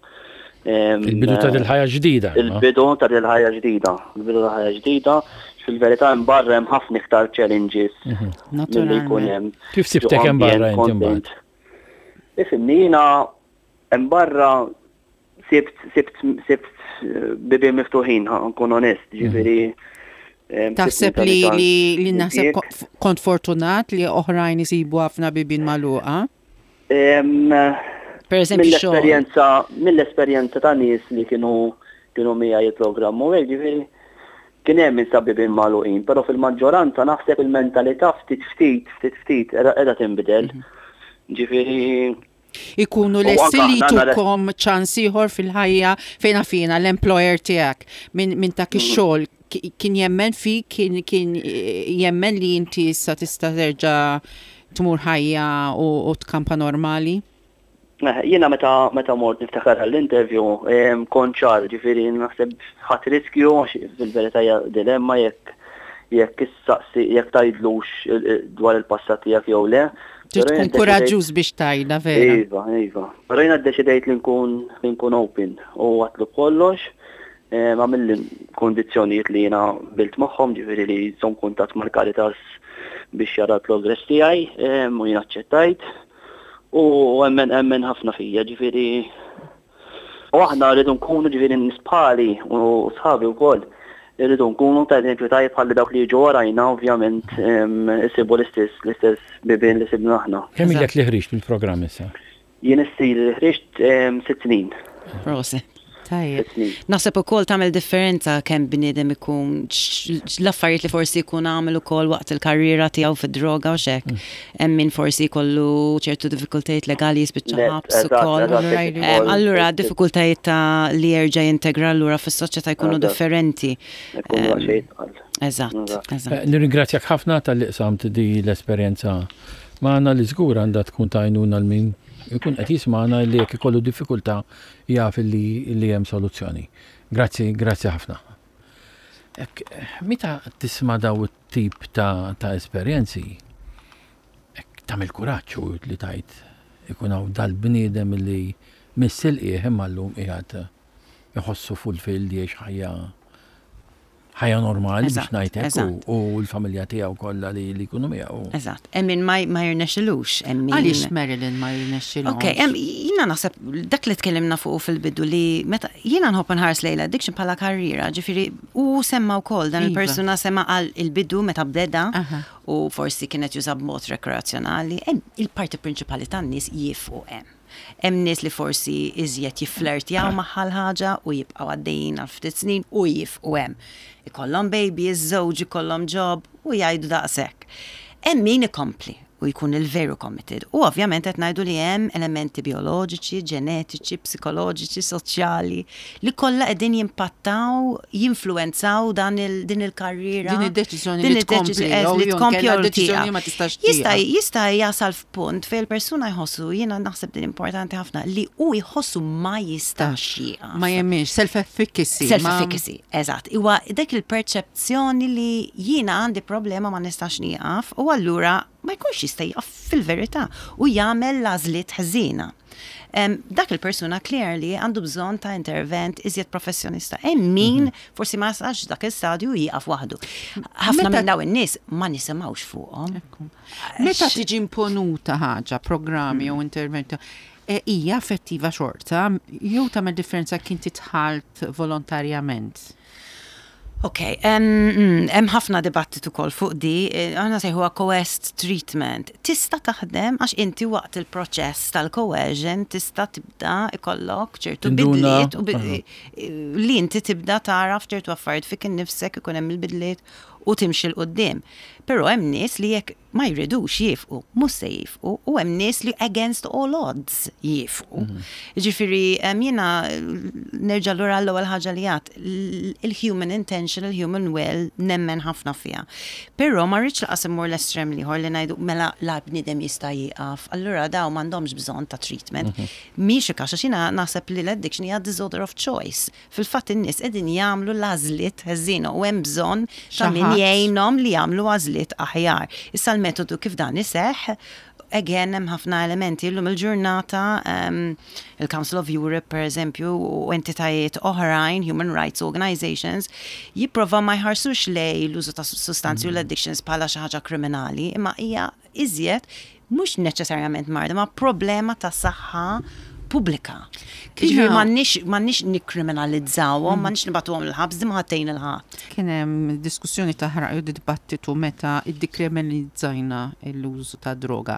Em, Il-bidu ta' dil-ħajja ġdida, imma. Il-bidu ta' dil-ħajja ġdida. Il-bidu ta' ħajja ġdida. Fil-verità hemm barra hemm ħafna iktar challenges milli jkun Naturalment. hemm. Kif sibtek ġo hemm barra ambjent inti mbagħad? content. Ifhimni, jiena hemm barra sibt sibt sibt eh, bibien miftuħin, ħa nkun onest, ġifieri em, sibt Taħseb li mentalità li li naħseb impjieg. ko- kont fortunat li oħrajn isibu ħafna bibien magħluqa? Em, Per eżempju xogħol. Mill-esperjenza mill-esperjenza ta' nies li kienu kienu miegħi il-programm u hekk, ġifieri kien hemm min sab bibien magħluqin, però fil-maġġoranza naħseb il-mentalità ftit ftit ftit ftit qiegħda qiegħda tinbidel. Ġifieri Ikunu U lesti anka li aħna nara- jtukom ċans ieħor fil-ħajja fejn fina l-employer tiegħek minn min dak ix-xogħol ki- kien jemmen fik, kien kien eh, jemmen li inti issa tista' terġa' tmur ħajja u, u tkampa normali? Eh, Jiena meta meta mort niftakar għall-interview, em, kont ċar, ġifieri naħseb ħadd riskju għax fil-verità hija dilemma jekk jekk issaqsi jekk tgħidlux il- il- dwar il-passat tiegħek jew le. Trid Però tkun jien deċidejt- kuraġġuż biex tgħidha vera. Iva, iva. Però jiena ddeċidejt li nkun li nkun open u għedtlu kollox. Em, Għamilli kondizzjonijiet li jiena qbilt magħhom, ġifieri li jżomm kuntatt mal-Caritas biex jara l-progress tiegħi, em, u jiena aċċettajt. U emmen emmen ħafna fija, ġifieri. U aħna rridu nkunu, ġifieri nies bħali u sħabi wkoll, rridu nkunu ta' eżempju tajjeb ħalli dawk li jiġu warajna ovvjament em, isibu l-istess l-istess bibien li sibna aħna. Kemm ilek li ħriġt mill-programm issa? Jien issa ili ħriġt em, sitt snin. Prosit. Tajjeb. Snin. Naħseb ukoll tagħmel differenza kemm bniedem ikun x- l-affarijiet li forsi jkun għamel ukoll waqt il-karriera tiegħu fid-droga u xek. Hemm min forsi jkollu ċertu diffikultajiet legali jispiċċa Le, ħabs eżatt, ukoll. eżatt, Allura jekk Em, ukoll- Allura diffikultajiet ta' li jerġa' jintegra lura fis-soċjetà jkunu Eżatt. differenti. Ikunu daqsxejn itqal. Eżatt, Eżatt. eżatt. Eh, Nirringrazzjak ħafna talli qsamt di l-esperjenza magħna li żgur għandha tkun tajnuna lil min ikun qed jismagħna li jekk ikollu diffikultà jaf li li hemm soluzzjoni. Grazzi, grazzi ħafna. Ek, meta tisma' daw it-tip ta', ta' esperjenzi, ek tagħmel kuraġġ u li tajt ikun hawn dal-bniedem li miss il-qiegħ imma llum qiegħed iħossu fulfilled jgħix ħajja ħajja normali biex Eżatt, ngħidlek u- eżatt. u l-familja tiegħu kollha li li jkunu miegħu. Eżatt. Hemm min ma ma jirnexxilux, hemm min Għaliex Marilyn ma jirnexxilhomx? Ok, em, jina naħseb dak li tkellimna fuq fil-bidu li meta jiena nħobb nħares lejn l-addiction bħala karriera, ġifieri u semma wkoll dan Iva. il-persuna semma għal il-bidu meta bdeda Aha. u forsi kienet juża b'mod rekreazzjonali, hemm il-parti prinċipali tan-nies jieqfu hemm. Hemm nies li forsi iżjed jifflirtjaw magħha l-ħaġa u jibqgħu għaddejjin għal ftit snin u jieqfu hemm. Ikollhom baby, iż-żewġ ikollhom job u jgħidu daqshekk. Hemm min ikompli u jkun il-veru committed. U ovvjament qed ngħidu li hemm elementi bioloġiċi, ġenetiċi, psikoloġiċi, soċjali li kollha qegħdin jimpattaw, jinfluwenzaw dan il, din il-karriera. Din id-deċiżjoni Din li tkompli, id-deċiżjoni, jew li jew tkompli inkella jew deċiżjoni tieqaf. ma tistax Jista' tieqaf. jista' jasal f'punt fejn il-persuna jħossu, jiena naħseb din importanti ħafna, li u jħossu ma jistax jieqaf. Ma jemminx, self-efficacy. ma- Self-efficacy, eżatt. Iwa dak il-perċezzjoni li jiena għandi problema ma nistax nieqaf u allura ma jkunx jista' jieqaf fil-verità u jagħmel l-għażliet ħżiena. Em, dak il-persuna clearly għandu bżonn ta' intervent iżjed professjonista. Hemm min forsi ma jasalx dak il-stadju jieqaf waħdu. Ħafna Meta- minn dawn in-nies ma nisimgħux fuqhom. Ekku. Meta tiġi imponuta ħaġa, programmi jew interventi, e, hija effettiva xorta, jew tagħmel differenza kien titħalt volontarjament. Ok, hemm hemm ħafna dibattitu kol fuq di, eh, aħna sejħuha coerced treatment. Tista' taħdem għax inti waqt il-proċess tal-coercion tista' tibda ikollok ċertu Tinduna. bidliet u bi- li inti tibda taraf ċertu affarijiet fik innifsek ikun hemm il-bidliet u timxi 'l quddiem. Però hemm nies li jekk ma jridux jieqfu, mhux se jieqfu, u hemm nies li against all odds jieqfu. Ġifieri em, jiena nerġa' lura l-ewwel ħaġa li għedt, il-human intention, il-human will nemmen ħafna fiha. Però ma rridx lanqas immur l-estrem l-ieħor li ngħidu mela la bniedem jista' jieqaf, allura daw m'għandhomx bżonn ta' treatment. Mhix il-każ għax jiena naħseb li l-addiction hija disorder of choice. Fil-fatt in-nies qegħdin jagħmlu l-għażliet ħżiena u hemm bżonn ta' min Xi ħadd. jgħinhom li jagħmlu għażliet aħjar. Issa l-metodu kif dan iseħħ, again hemm ħafna elementi llum il-ġurnata um, il-Council of Europe per eżempju u entitajiet oħrajn, human rights organizations, jipprova ma jħarsux lej l-użu ta' sustanzi u l-addictions bħala xi ħaġa kriminali, imma hija iżjed mhux neċessarjament marda, ma problema ta' saħħa pubblika. Ġifieri m'għandniex m'għandniex nikkriminalizzawhom, m'għandniex nibagħtuhom il-ħabs, di ma ħattejn il-ħadd. Kien hemm diskussjoni taħraq jew dibattitu meta iddikriminalizzajna l-użu ta' droga.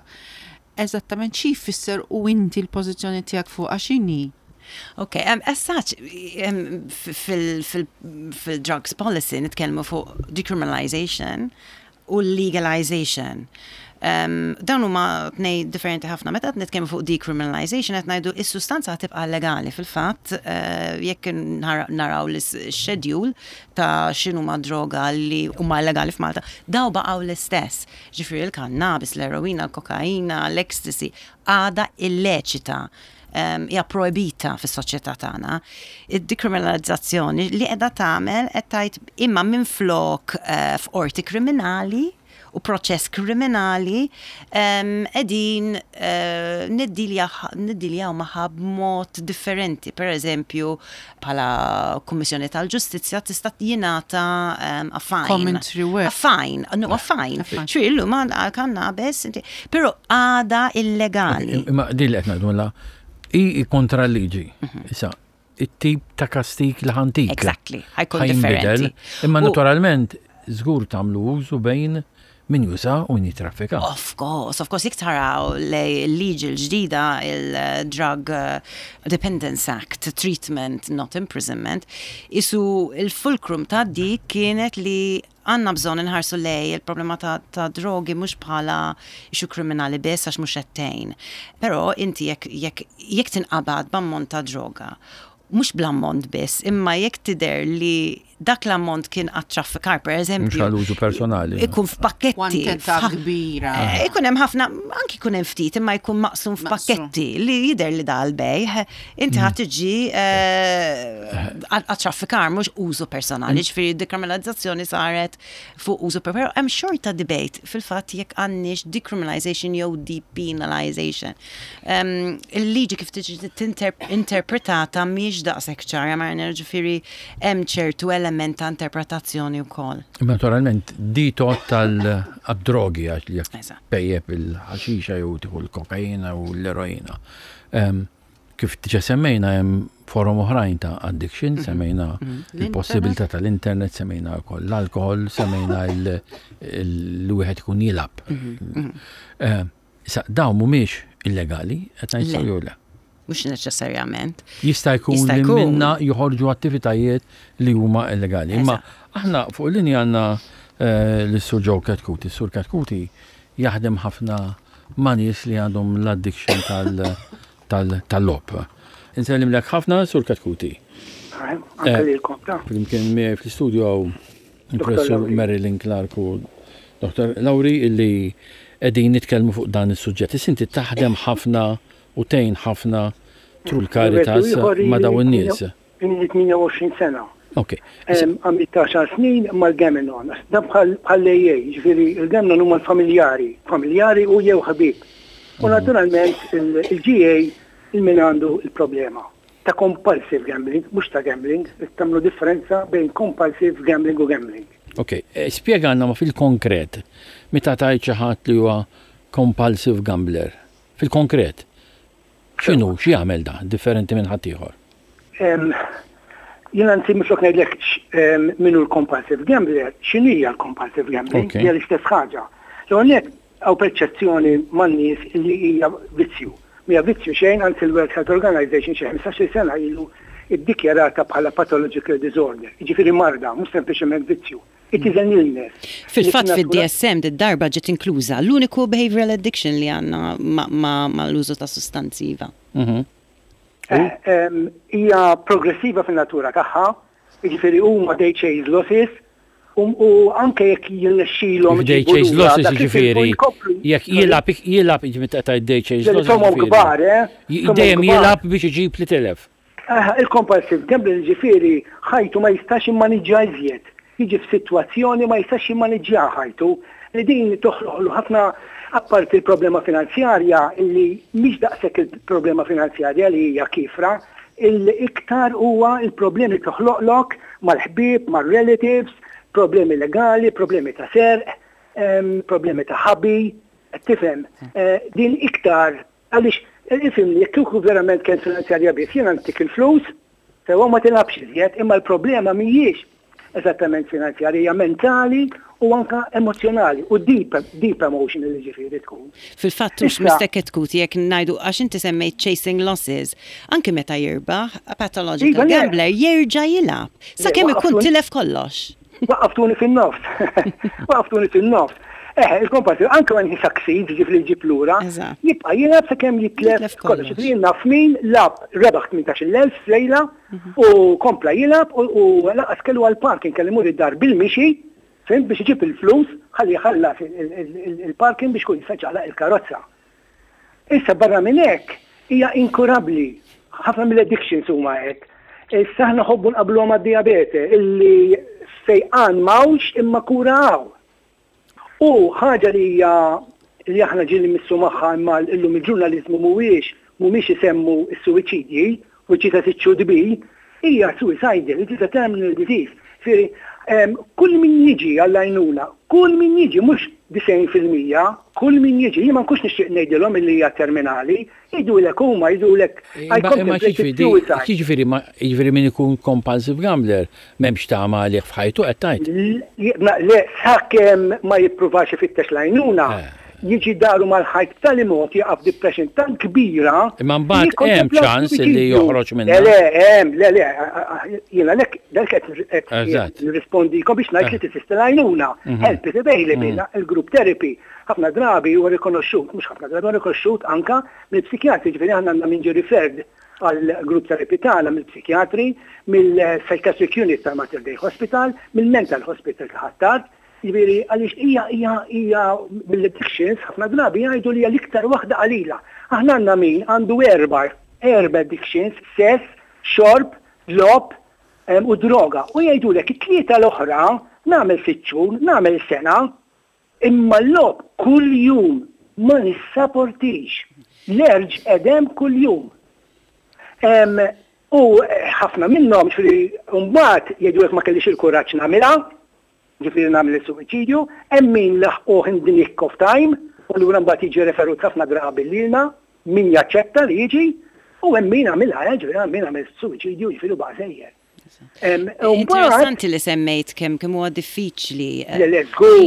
Eżattament xi jfisser u inti l-pożizzjoni tiegħek fuq x'inhi? Ok, um, as such, um, fil-drugs policy nitkellmu fuq decriminalization u legalization. Um, dawn huma tnej differenti ħafna. Meta qed nitkellmu fuq decriminalization qed ngħidu is-sustanza tibqa' legali fil-fatt uh, jekk naraw l-schedule ta' x'inhuma droga li huma legali f'Malta, daw baqgħu l-istess. Ġifieri il-kannabis, l-eroina, l-kokaina, l-ecstasy għada illeċita hija proibita fis-soċjetà tagħna. Id-dekriminalizzazzjoni li qiegħda tagħmel qed tgħid imma minflok uh, f'qorti kriminali u proċess kriminali qegħdin uh, niddiljaw magħha b'mod differenti. Per eżempju, bħala Kummissjoni tal-Ġustizzja tista' jingħata um, a fine. Commentary work. A fine, no, a fine. Ġifieri llum għal-kannabis, però għada illegali. Imma din li qed ngħidu la i kontra l-liġi. Issa, it-tip ta' kastik li ħa ntik. Exactly, ħa jkun Ħa jinbidel. differenti. Imma U- naturalment, żgur tagħmlu użu bejn min juża u min jitraffika. Of course, of course, jekk taraw l-liġi l-ġdida, il-Drug uh, Dependence Act, Treatment, Not Imprisonment, isu il-fulcrum ta' dik kienet li għandna bżonn inħarsu lej il-problema ta', ta' drogi mhux bħala issue kriminali biss, għax mhux qed. Però inti jekk jekk jekk tinqabad b'ammont ta' droga, mhux bl-ammont biss, imma jekk tidher li dak l-ammont kien għat-traffikar, per eżempju. Mhux għall-użu personali. Ikun f'pakketti. Kwantità kbira. Eh, Ikun hemm ħafna, anki jkun hemm ftit, imma jkun maqsum f'pakketti li jidher li da l-bejħ, inti ħadd tiġi għat-traffikar, mhux użu personali, ġifieri decriminalizzazzjoni saret fuq użu, però hemm xorta debate fil-fatt jekk għandniex decriminalization jew depenalization. Em, Il-liġi kif tiġi interpretata mhijiex daqshekk ċara, ma ġifieri hemm ċertu element ta' interpretazzjoni wkoll. Naturalment, di tot tal-drogi, għax li jekk Eżatt. pejjep il-ħaxixa jew tieħu l-kokaina u l-eroina. Em, Kif diġà semmejna, hemm forom oħrajn ta' addiction, semmejna il-possibilità tal-internet, semmejna wkoll l-alkohol, semmejna l-wieħed ikun jilgħab. Eh, Issa, dawn mhumiex illegali, qed ngħid Le. sew jew le? Mhux neċessarjament. Jista' jkun Jista' li jkun. minna joħorġu attivitajiet li huma illegali. Imma aħna fuq linja għandna eh, l-Sur Joe Chetcuti. Sur Chetcuti jaħdem ħafna ma' nies li għandhom l-addiction tal- tal- tal-logħob. Insellimlek ħafna, Sur Chetcuti. Anke lilkom ta' Flimkien miegħi fl-istudio hawn il-Professur Lauri. Marilyn Clark u Doktor Lauri illi qegħdin nitkellmu fuq dan is-suġġett. Issa inti taħdem ħafna u tgħin ħafna through l-Caritas ma' dawn in-nies. Ili tmienja u għoxrin sena. Ok. Għamilt għaxar snin mal-Gam-Anon. Dan bħal bħal A A, ġifieri il-Gam-Anon huma l-familjari, familjari u jew ħabib. U naturalment il-G A il-min għandu il-problema ta' compulsive gambling, mhux ta' gambling, tagħmlu differenza bejn compulsive gambling u gambling. Ok, eh, spjegana ma fil-konkret, meta tgħid xi ħadd li huwa compulsive gambler, fil-konkret, x'inhu, x'jagħmel da, differenti minn ħadd ieħor? Em, Jien anzi minflok ngħidlek x- em, min hu l-compulsive gambler, x'inhija l-compulsive gambling, Ok. hija l-istess ħaġa. L-għonet hawn perċezzjoni man-nies li hija vizzju. Mija vizzju xejn, anzi l-World Health Organization xi ħmistax-il sena ilu iddikjarata bħala pathological disorder, jiġifieri marda, mhux sempliċement vizzju. It is an illness. Fil-fatt Li fil-natura- fid-D S M d-darba ġiet inkluża l-uniku behavioral addiction li għandna ma, ma, ma l-użu ta' sustanzi iva. Mhm. Eh, em, Hija progressiva fin-natura tagħha, jiġifieri huma they chase losses, u u anke jekk jirnexxilhom They iġibu chase lura losses dak li ġifieri, tilfu jkopru. jekk jilgħab, jilgħab, ġifieri ta' they chase Li losses. somom ġifieri. kbar, eh? J- Somom Dejjem kbar. jilgħab biex iġib li tilef. Ah, il-compulsive gambling ġifieri ħajtu ma jistax jimmaniġġja iżjed. Jiġi f'sitwazzjoni ma jistax jimmaniġġja ħajtu. Li din toħloqlu ħafna, apparti il-problema finanzjarja, illi mhix daqshekk il-problema finanzjarja li hija kifra, il-iktar huwa il-problemi toħloqlok mal-ħbieb, mal-relatives, problemi legali, problemi ta' serq, em, problemi ta' ħabi, tifhem, eh, din iktar għaliex ifhimni, jekk kieku verament kien finanzjarja biss, jiena ntik il-flus, sewa ma tilgħabx iżjed, imma l-problema mhijiex eżattament finanzjarja, hija mentali u anka emozjonali u deep, deep emotional ġifieri tkun. Fil-fatt mhux Issa- Mister Chetcuti, jekk ngħidu, għax inti semmejt chasing losses, anke meta jirbaħ, a pathological Iva, le. gambler jerġa' jilgħab sakemm ikun waqaftuni- tilef kollox. Waqaftuni fin-nofs. Waqaftuni fin-nofs. Eh, il-compulsive, anke when he succeeds, ġifieri jġib lura, Eżatt. jibqa' jilgħab sakemm jitlef Jitlef kollox. kollox. Ġifieri naf min lagħab, rebaħ tmintax-il elf f'lejla u kompla jilgħab u u lanqas kellu għal-parking, kellu imur id-dar bil-mixi, fhimt, biex iġib il-flus, ħalli jħallas il- il- il- il-parking biex kun jista' jċaqlaq il-karozza. Issa barra minn hekk hija inkurabbli. Ħafna mill-addictions huma hekk. Issa aħna nħobbu nqabbluha mad-diabete illi fejqan m'hawnx imma kura hawn. U ħaġa li hija li aħna ġieli missu magħha, imma illum il-ġurnalizmu mhuwiex mhumiex isemmu s-suwiċidji, which is as it should be, hija suicidal, it is a terminal disease. Ġifieri, Kull min jiġi għall-għajnuna, kull min jiġi, mhux disgħin fil-mija, kull min jiġi, jien ma nkunx nixtieq ngħidilhom illi hija terminali, jgħidulek huma, jgħidulek I contemplated suicide. Jiġifieri ma jiġifieri min ikun compulsive gambler m'hemmx tama għalih f'ħajtu qed tgħid? Le, sakemm ma jippruvax ifittex l-għajnuna, jiġi daru mal-ħajt b'tali mod jaqaf depression tant kbira. Imma mbagħad hemm ċans li joħroġ minnha. Le, le, hemm, le, le, jiena lek dak qed nirrispondikom biex ngħid li teżisti l-għajnuna. Help is available, il-group therapy. Ħafna drabi huwa rikonoxxut, mhux ħafna drabi huwa rikonoxxut anka mill-psikjatri, ġifieri aħna għandna min ġie referred għal group therapy tagħna mill-psikjatri, mill-psychiatric unit tal-Mater Dei Hospital, mill-mental hospital ta' Ħ'Attard. Ġifieri għaliex hija hija hija mill-addictions ħafna drabi jgħidu li hija l-iktar waħda qalila. Aħna għandna min għandu erba' erba' addictions, sess, xorb, logħob u droga. U jgħidulek it-tlieta l-oħra nagħmel sitt xhur, nagħmel sena, imma l-logħob kull jum ma nissaportix. L-urge edem kull jum. U ħafna minnhom ġifieri mbagħad jgħidulek ma kellix il-kuraġġ nagħmilha, ġifieri nagħmel is-suwiċidju, hemm min laħquh in the nick of time, u lura mbagħad jiġi referut ħafna drabi lilna, min jaċċetta li jiġi, u hemm min għamilha, ġifieri hemm min għamel suwiċidju, ġifieri baqa' sejjer. Interessanti li semmejt kemm kemm huwa diffiċli. Le, le, żgur,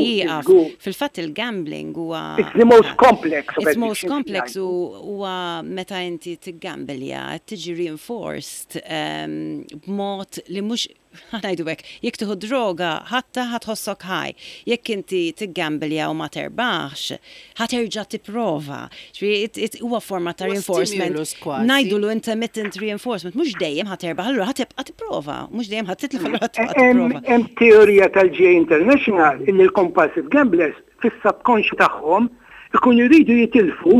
żgur. Fil-fatt il-gambling huwa It's the most complex of It's most addictions, complex jgħidu. u huwa meta inti tiggambilja tiġi reinforced b'mod li mhux ngħidu hekk, jekk tieħu droga ħatta ħa tħossok high. Jekk inti tiggambilja u ma terbaħx, ħa terġa' tipprova. Ġifieri huwa forma ta' Huwa reinforcement. stimulus kważi. Ngħidulu intermittent reinforcement, mhux dejjem ħa terbaħ, allura ħa tibqa' tipprova, mhux dejjem ħa titlef allura ħa tibqa' Hemm tipprova. hemm teorija tal-G A International illi l-compulsive gamblers fis-subconscious tagħhom ikunu jridu jitilfu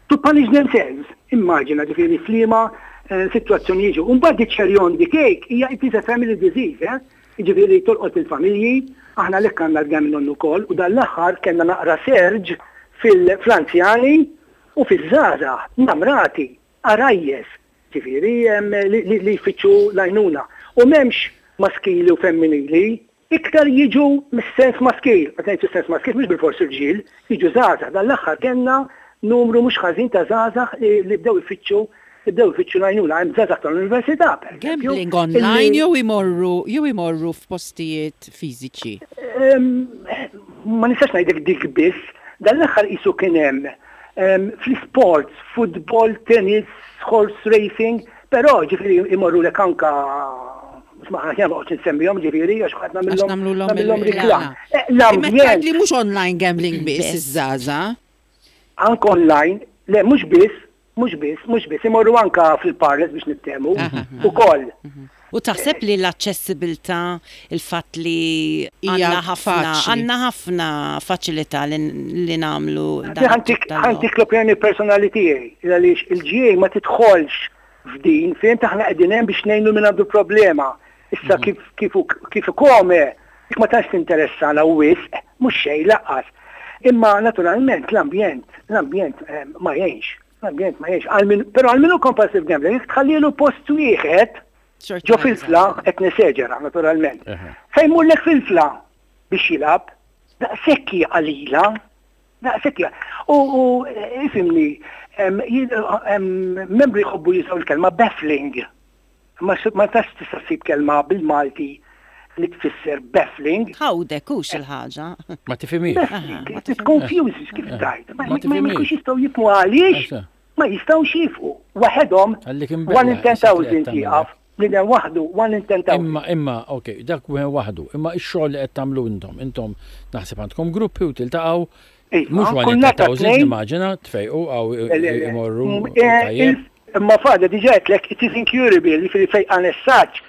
to punish themselves. Immaġina ġifieri f'liema eh, situazzjoni jiġu. Mbagħad the cherry on the cake hija it is a family disease, eh? Jiġifieri tolqot il-familji, aħna lek għandna l-gambling ukoll u dan l-aħħar kellna naqra surge fil-anzjani u fiż-żgħażagħ, namrati, għarajjes, ġifieri em, li, li, li jfittxu l-għajnuna. U m'hemmx maskili u femminili, iktar jiġu mis-sens maskil. Qed ngħid sens maskil mhux bil-fors irġiel, jiġu żgħażagħ. Dan l-aħħar kellna numru mhux ħażin ta' żgħażagħ li, li bdew ifittxu bdew ifittxu l-għajnuna. Hemm żgħażagħ tal-università, per eżempju, Gambling online illi- jew imorru jew imorru f'postijiet fiżiċi. Em, ma nistax ngħidlek dik biss, dan l-aħħar qisu kien hemm em, fl-sports, football, tennis, horse racing, però ġifieri imorru lek anka ma ħana ma nsemmihom ġifieri għax ħadd Għax nagħmilhom nagħmluhom nagħmilhom il-reklam. reklam. Eh, Imma tgħid L-ambjent li mhux online gambling biss Biss. iż-żgħażagħ. anke online, le mhux biss, mhux biss, mhux biss, imorru anka fil-parlors biex niftehmu ukoll. U taħseb li l-aċċessibilità, il-fatt li Hija għandna ħafna faċli. għandna ħafna faċilità li, li nagħmlu dan Ħa ntik it-tip ta' ħa ntik l-opinjoni personali tiegħi, għaliex il-G A ma tidħolx f'din, fejn aħna qegħdin hemm biex ngħinu min għandu problema. Issa kif kif kif kome, dik ma tantx tinteressana wisq, mhux xejn lanqas. Imma naturalment l-ambjent, l-ambjent eh, ma jgħinx, l-ambjent ma jgħinx. Għal min- Però għal min hu compulsive gambler, jekk tħallilu post wieħed, Xorta ġo ma Filfla, qed neseġera naturalment. Eħe. Fejn mullek Filfla biex jilgħab, daqshekk hija qalila, daqshekk hija. U u ifhimni, em, jien- em, membri jħobbu jużaw il-kelma baffling. Ma s- ma tax tista' ssib kelma bil-Malti li tfisser baffling. Ħawdek hux il-ħaġa. Ma tifhimix. Baffling, it confuses kif tajt. Ma Ma ma- ma tifhimix. jkunx jistgħu jifhmu għaliex, Eżatt. ma jistgħux jifhmu. Waħedhom, Għallik imbella, one in ten thousand issa jieqaf, bniedem waħdu, one in ten thousand. Imma, imma, ok, dak wieħed waħdu. Imma ix-xogħol li qed tagħmlu intom, intom naħseb għandkom gruppi u tiltaqgħu Iva, mhux one kull in nhar ta' ten thousand tnejn. nimmaġina tfejqu għaw Le, le, le. imorru Mm, eh, tajjeb. il- Imma fada diġà għedtlek, it is incurable, jiġifieri fejqan essaċ.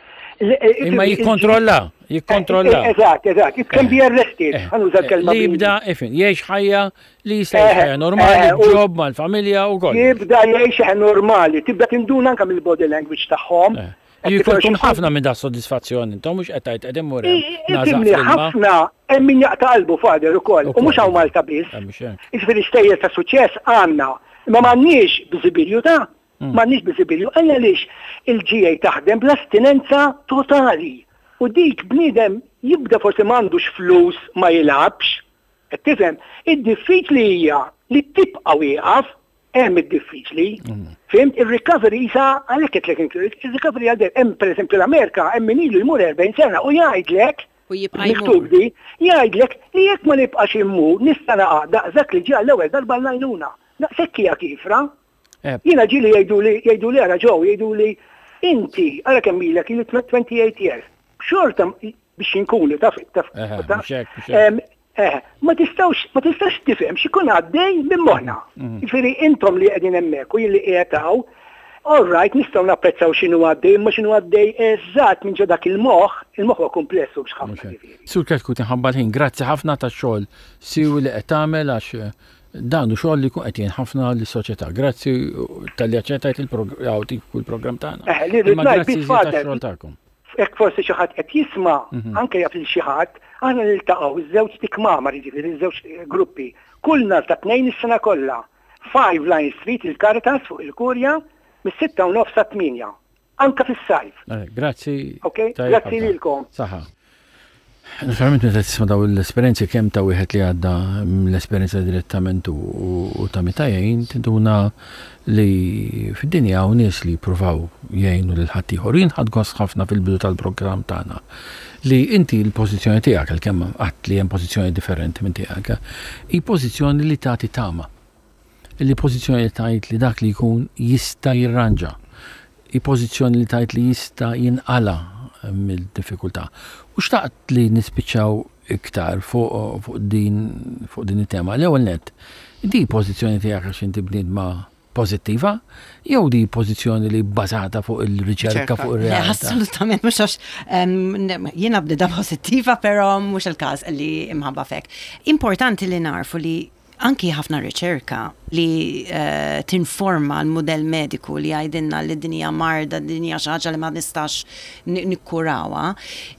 Imma jikkontrolla, jikkontrolla. Eżatt, eżatt, it can be arrested. Eh, Ħa nuża l-kelma Li bil- jibda, ifin, jgħix ħajja li jista' Eh, jgħix ħajja normali, eh, u- job mal-familja u kollox. Jibda jgħix ħajja normali, tibda tinduna anka mill-body language tagħhom. Eh. Jkollkom ħafna minn da soddisfazzjon, intom mhux qed tgħid qegħdin mur hemm, nażaq Ifhimni fl-ilma. ħafna hemm min jaqta' qalbu father ukoll, u Ukoll. mhux hawn Malta biss. Eh, mhux hekk. Jiġifieri stejjer ta' suċċess għandna, imma m'għandniex biżibilju ta' Mm. m'għandniex biżibilju għaliex il-G A taħdem bl-astinenza totali. U dik bniedem Jibda forsi m'għandux flus ma jilgħabx. Qed tifhem, id-diffiċli hija li tibqa' wieqaf, hemm id-diffiċli. Fhimt, il-recovery isa għalhekk qed il-recovery għal hemm, pereżempju, l-Amerika hemm min ilu jmur erbgħin sena u jgħidlek U jibqa' miktub jmur. Di, jgħidlek li jekk ma nibqax immur nista' naqa' daqshekk li ġie l-ewwel darba l-għajnuna. Daqshekk hija kifra. Eh, Jiena ġieli jgħidu li jgħidu li ara ġew jgħidu li inti ara kemm ilek, ili twenty-eight years. Xorta biex inkunu taf taf Eħe, taf. Mhux hekk, mhux hekk. Em, Eh, ma tistawx, ma tistax tifhem x'ikun għaddej minn moħħna. Mhm. Jiġifieri intom li qegħdin hemmhekk u jien li qiegħed hawn, all right, nistgħu napprezzaw x'inhu għaddej, imma x'inhu għaddej eżatt minn ġo dak il-moħħ, il-moħħ huwa komplessu biex ħafna Mhux hekk. ġifieri. Sur Ketku, tinħabba l-ħin, grazzi ħafna tax-xogħol siewi li qed tagħmel, għax eh, dan hu xogħol li jkun qed jgħin ħafna lis-soċjetà. Grazzi talli aċċettajt il-programm tagħna. Eh, li rrid Imma ngħid grazzi biss, iżjed Father. tax-xogħol tagħkom. Jekk forsi xi ħadd qed jisma', Mhm. anke jaf lil xi ħadd, aħna niltaqgħu iż-żewġ tikmamar, jiġifieri iż-żewġ gruppi, kull nhar ta' Tnejn is-sena kollha. five Line Street, il-Caritas fuq il-Kurja, mis-sitta u nofs sa tmienja. Anka fis-sajf. Eh, Grazzi. Ok, Tajjeb grazzi ħafna. lilkom. Saħħa. Naturalment meta tisma' daw l-esperjenzi, kemm ta' wieħed li għadda l-esperjenza direttament u, u ta' meta jgħin, tinduna li fid-dinja hawn nies li jippruvaw jgħinu lil ħaddieħor. Jien ħadt gost ħafna fil-bidu tal-programm tagħna li inti l-pożizzjoni tiegħek, għalkemm qatt li hemm pożizzjoni differenti minn tiegħek, hi pożizzjoni li tagħti tama. Li pożizzjoni li tgħid li dak li jkun jista' jirranġa. Hi pożizzjoni li tgħid li jista' jinqala mill-diffikultà. U xtaqt li nispiċċaw iktar fuq fuq din fuq din it-tema. L-ewwel net, di pożizzjoni tiegħek għax inti bniedma pożittiva jew di pożizzjoni li bbażata fuq il-riċerka, Riċerka. fuq Le, ir-realtà? assolutament, mhux għax em, ne- jiena bnedma pozittiva, pero mhux il-każ li imħabba fek. Importanti li narfu li anki ħafna riċerka li uh, tinforma l-modell mediku li jgħidilna li din hija marda, din hija xi ħaġa li ma nistax ni- nikkurawha.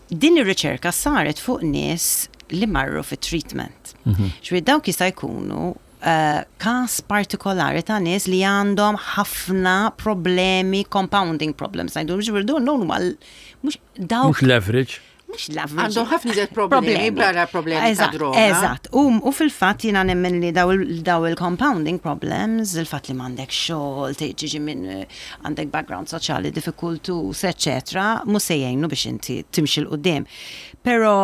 Din ir-riċerka saret fuq nies li marru fit treatment. Ġifieri dawk jista' jkunu uh, kas partikolari ta' nies li għandhom ħafna problemi, compounding problems. Ngħidu, ġifieri dawn huma l- mhux dawk Mhux l-average. Mhux l-average. Għandhom ħafna iżjed problemi barra problemi ta' Eżatt, droga. Eżatt. U, u fil-fatt jiena nemmen li daw il- daw il-compounding problems, il-fatt li m'għandek xogħol, tiġi minn eh, għandek background soċjali diffikultus, eccetera, mhux se jgħinu biex inti timxi 'l quddiem. Però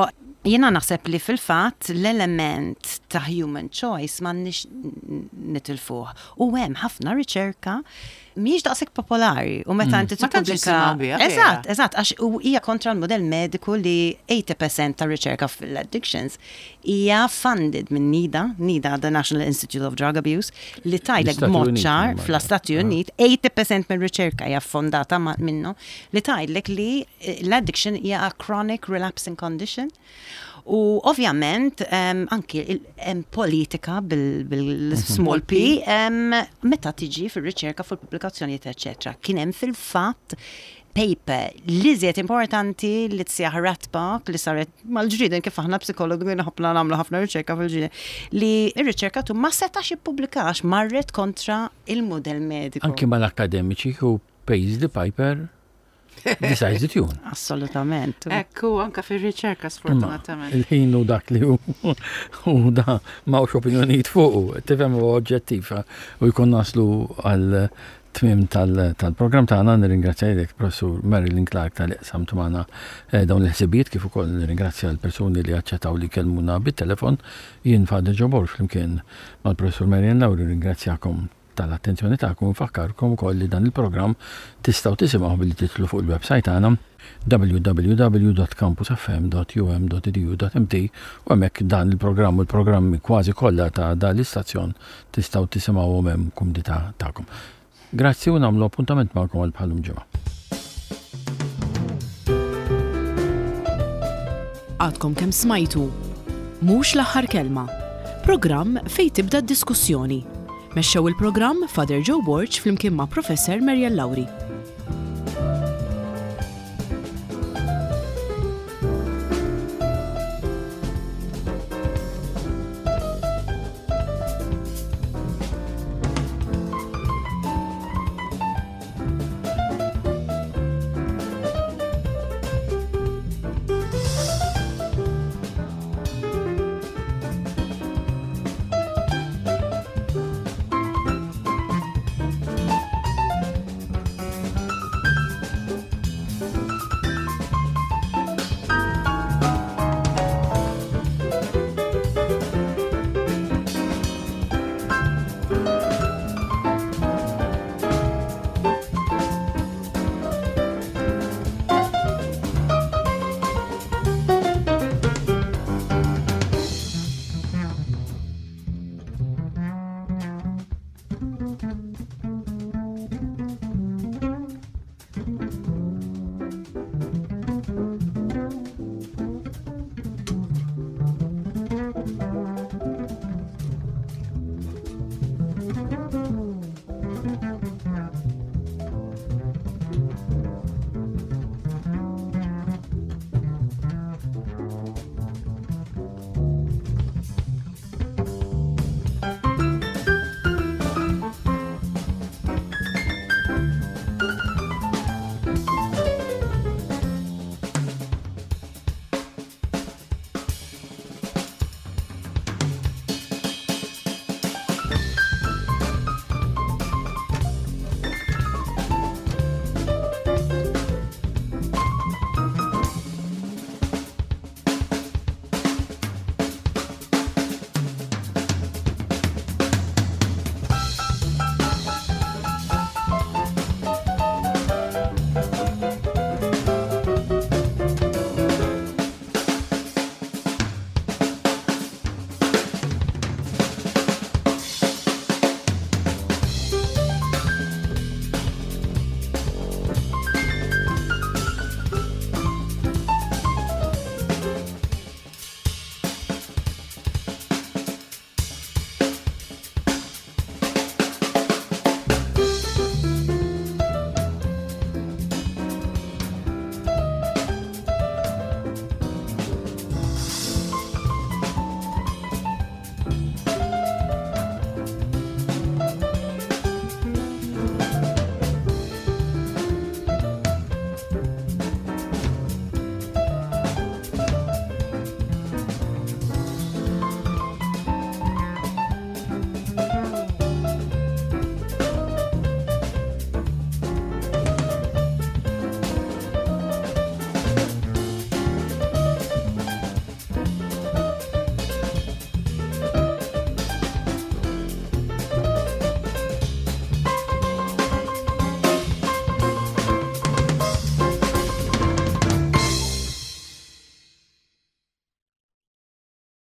jiena naħseb li fil-fatt l-element ta' human choice m'għandniex nitilfuh. U hemm ħafna riċerka mhijiex daqshekk popolari u meta inti Ma tantx tippubblika. nisimgħu biha, vera. Eżatt, eżatt, għax u hija kontra l-modell mediku li tmenin fil-mija ta' riċerka fil-addictions hija funded minn NIDA, NIDA, the National Institute of Drug Abuse, li tgħidlek L-Istati b'mod Uniti, ċar imma. fl-Stati Uniti, tmenin fil-mija minn riċerka hija fondata ma- minnu, li tgħidlek li eh, l-addiction hija a chronic relapsing condition. U ovvjament um, anki il- hemm politika bil-small p um, meta tiġi fir-riċerka, fil-pubblikazzjonijiet, eċetera. Kien hemm fil-fatt paper li żiet importanti li tsjaħ Ratbach li saret mal-ġrieden, kif aħna psikologi ħafna nagħmlu ħafna riċerka fil-ġrieden, li r-riċerkatur ma setax jippubblikax, marret kontra il-modell mediku. Anki mal-akademiċi, who pays the piper decides the tune. Assolutament. Ekku, anka fil-riċerka sfortunatament. Il-ħin u dak li hu u da m'hawnx opinjonijiet fuqu, tifhem, u oġġettiv, u jkun naslu għal tmiem tal-programm tagħna. Nirringrazzja lilek, Professur Marilyn Clark, talli qsamtu magħna eh, dawn il-ħsibijiet, kif ukoll nirringrazzja l-persuni li aċċettaw li kellmuna bit-telefon. Jien Father Joe Borg flimkien mal-Professur Marian Lauri ringrazzjakom tal-attenzjoni tagħkom u nfakkarkom ukoll li dan il-programm tistgħu tisimgħu billi tidħlu fuq il-website tagħna w w w punt campusfm punt u m punt e d u punt m t u hemmhekk dan il-programm u l-programmi kważi kollha ta' dan l-istazzjon tistgħu tisimgħuhom hemm kumdità tagħkom. Grazzi u nagħmlu appuntament magħkom għal bħalum ġimgħa. Għadkom kemm smajtu Mhux l-Aħħar Kelma. Programm fejn tibda d-diskussjoni. Mexxew il-programm Father Joe Borg flimkien ma' Professor Marian Lauri.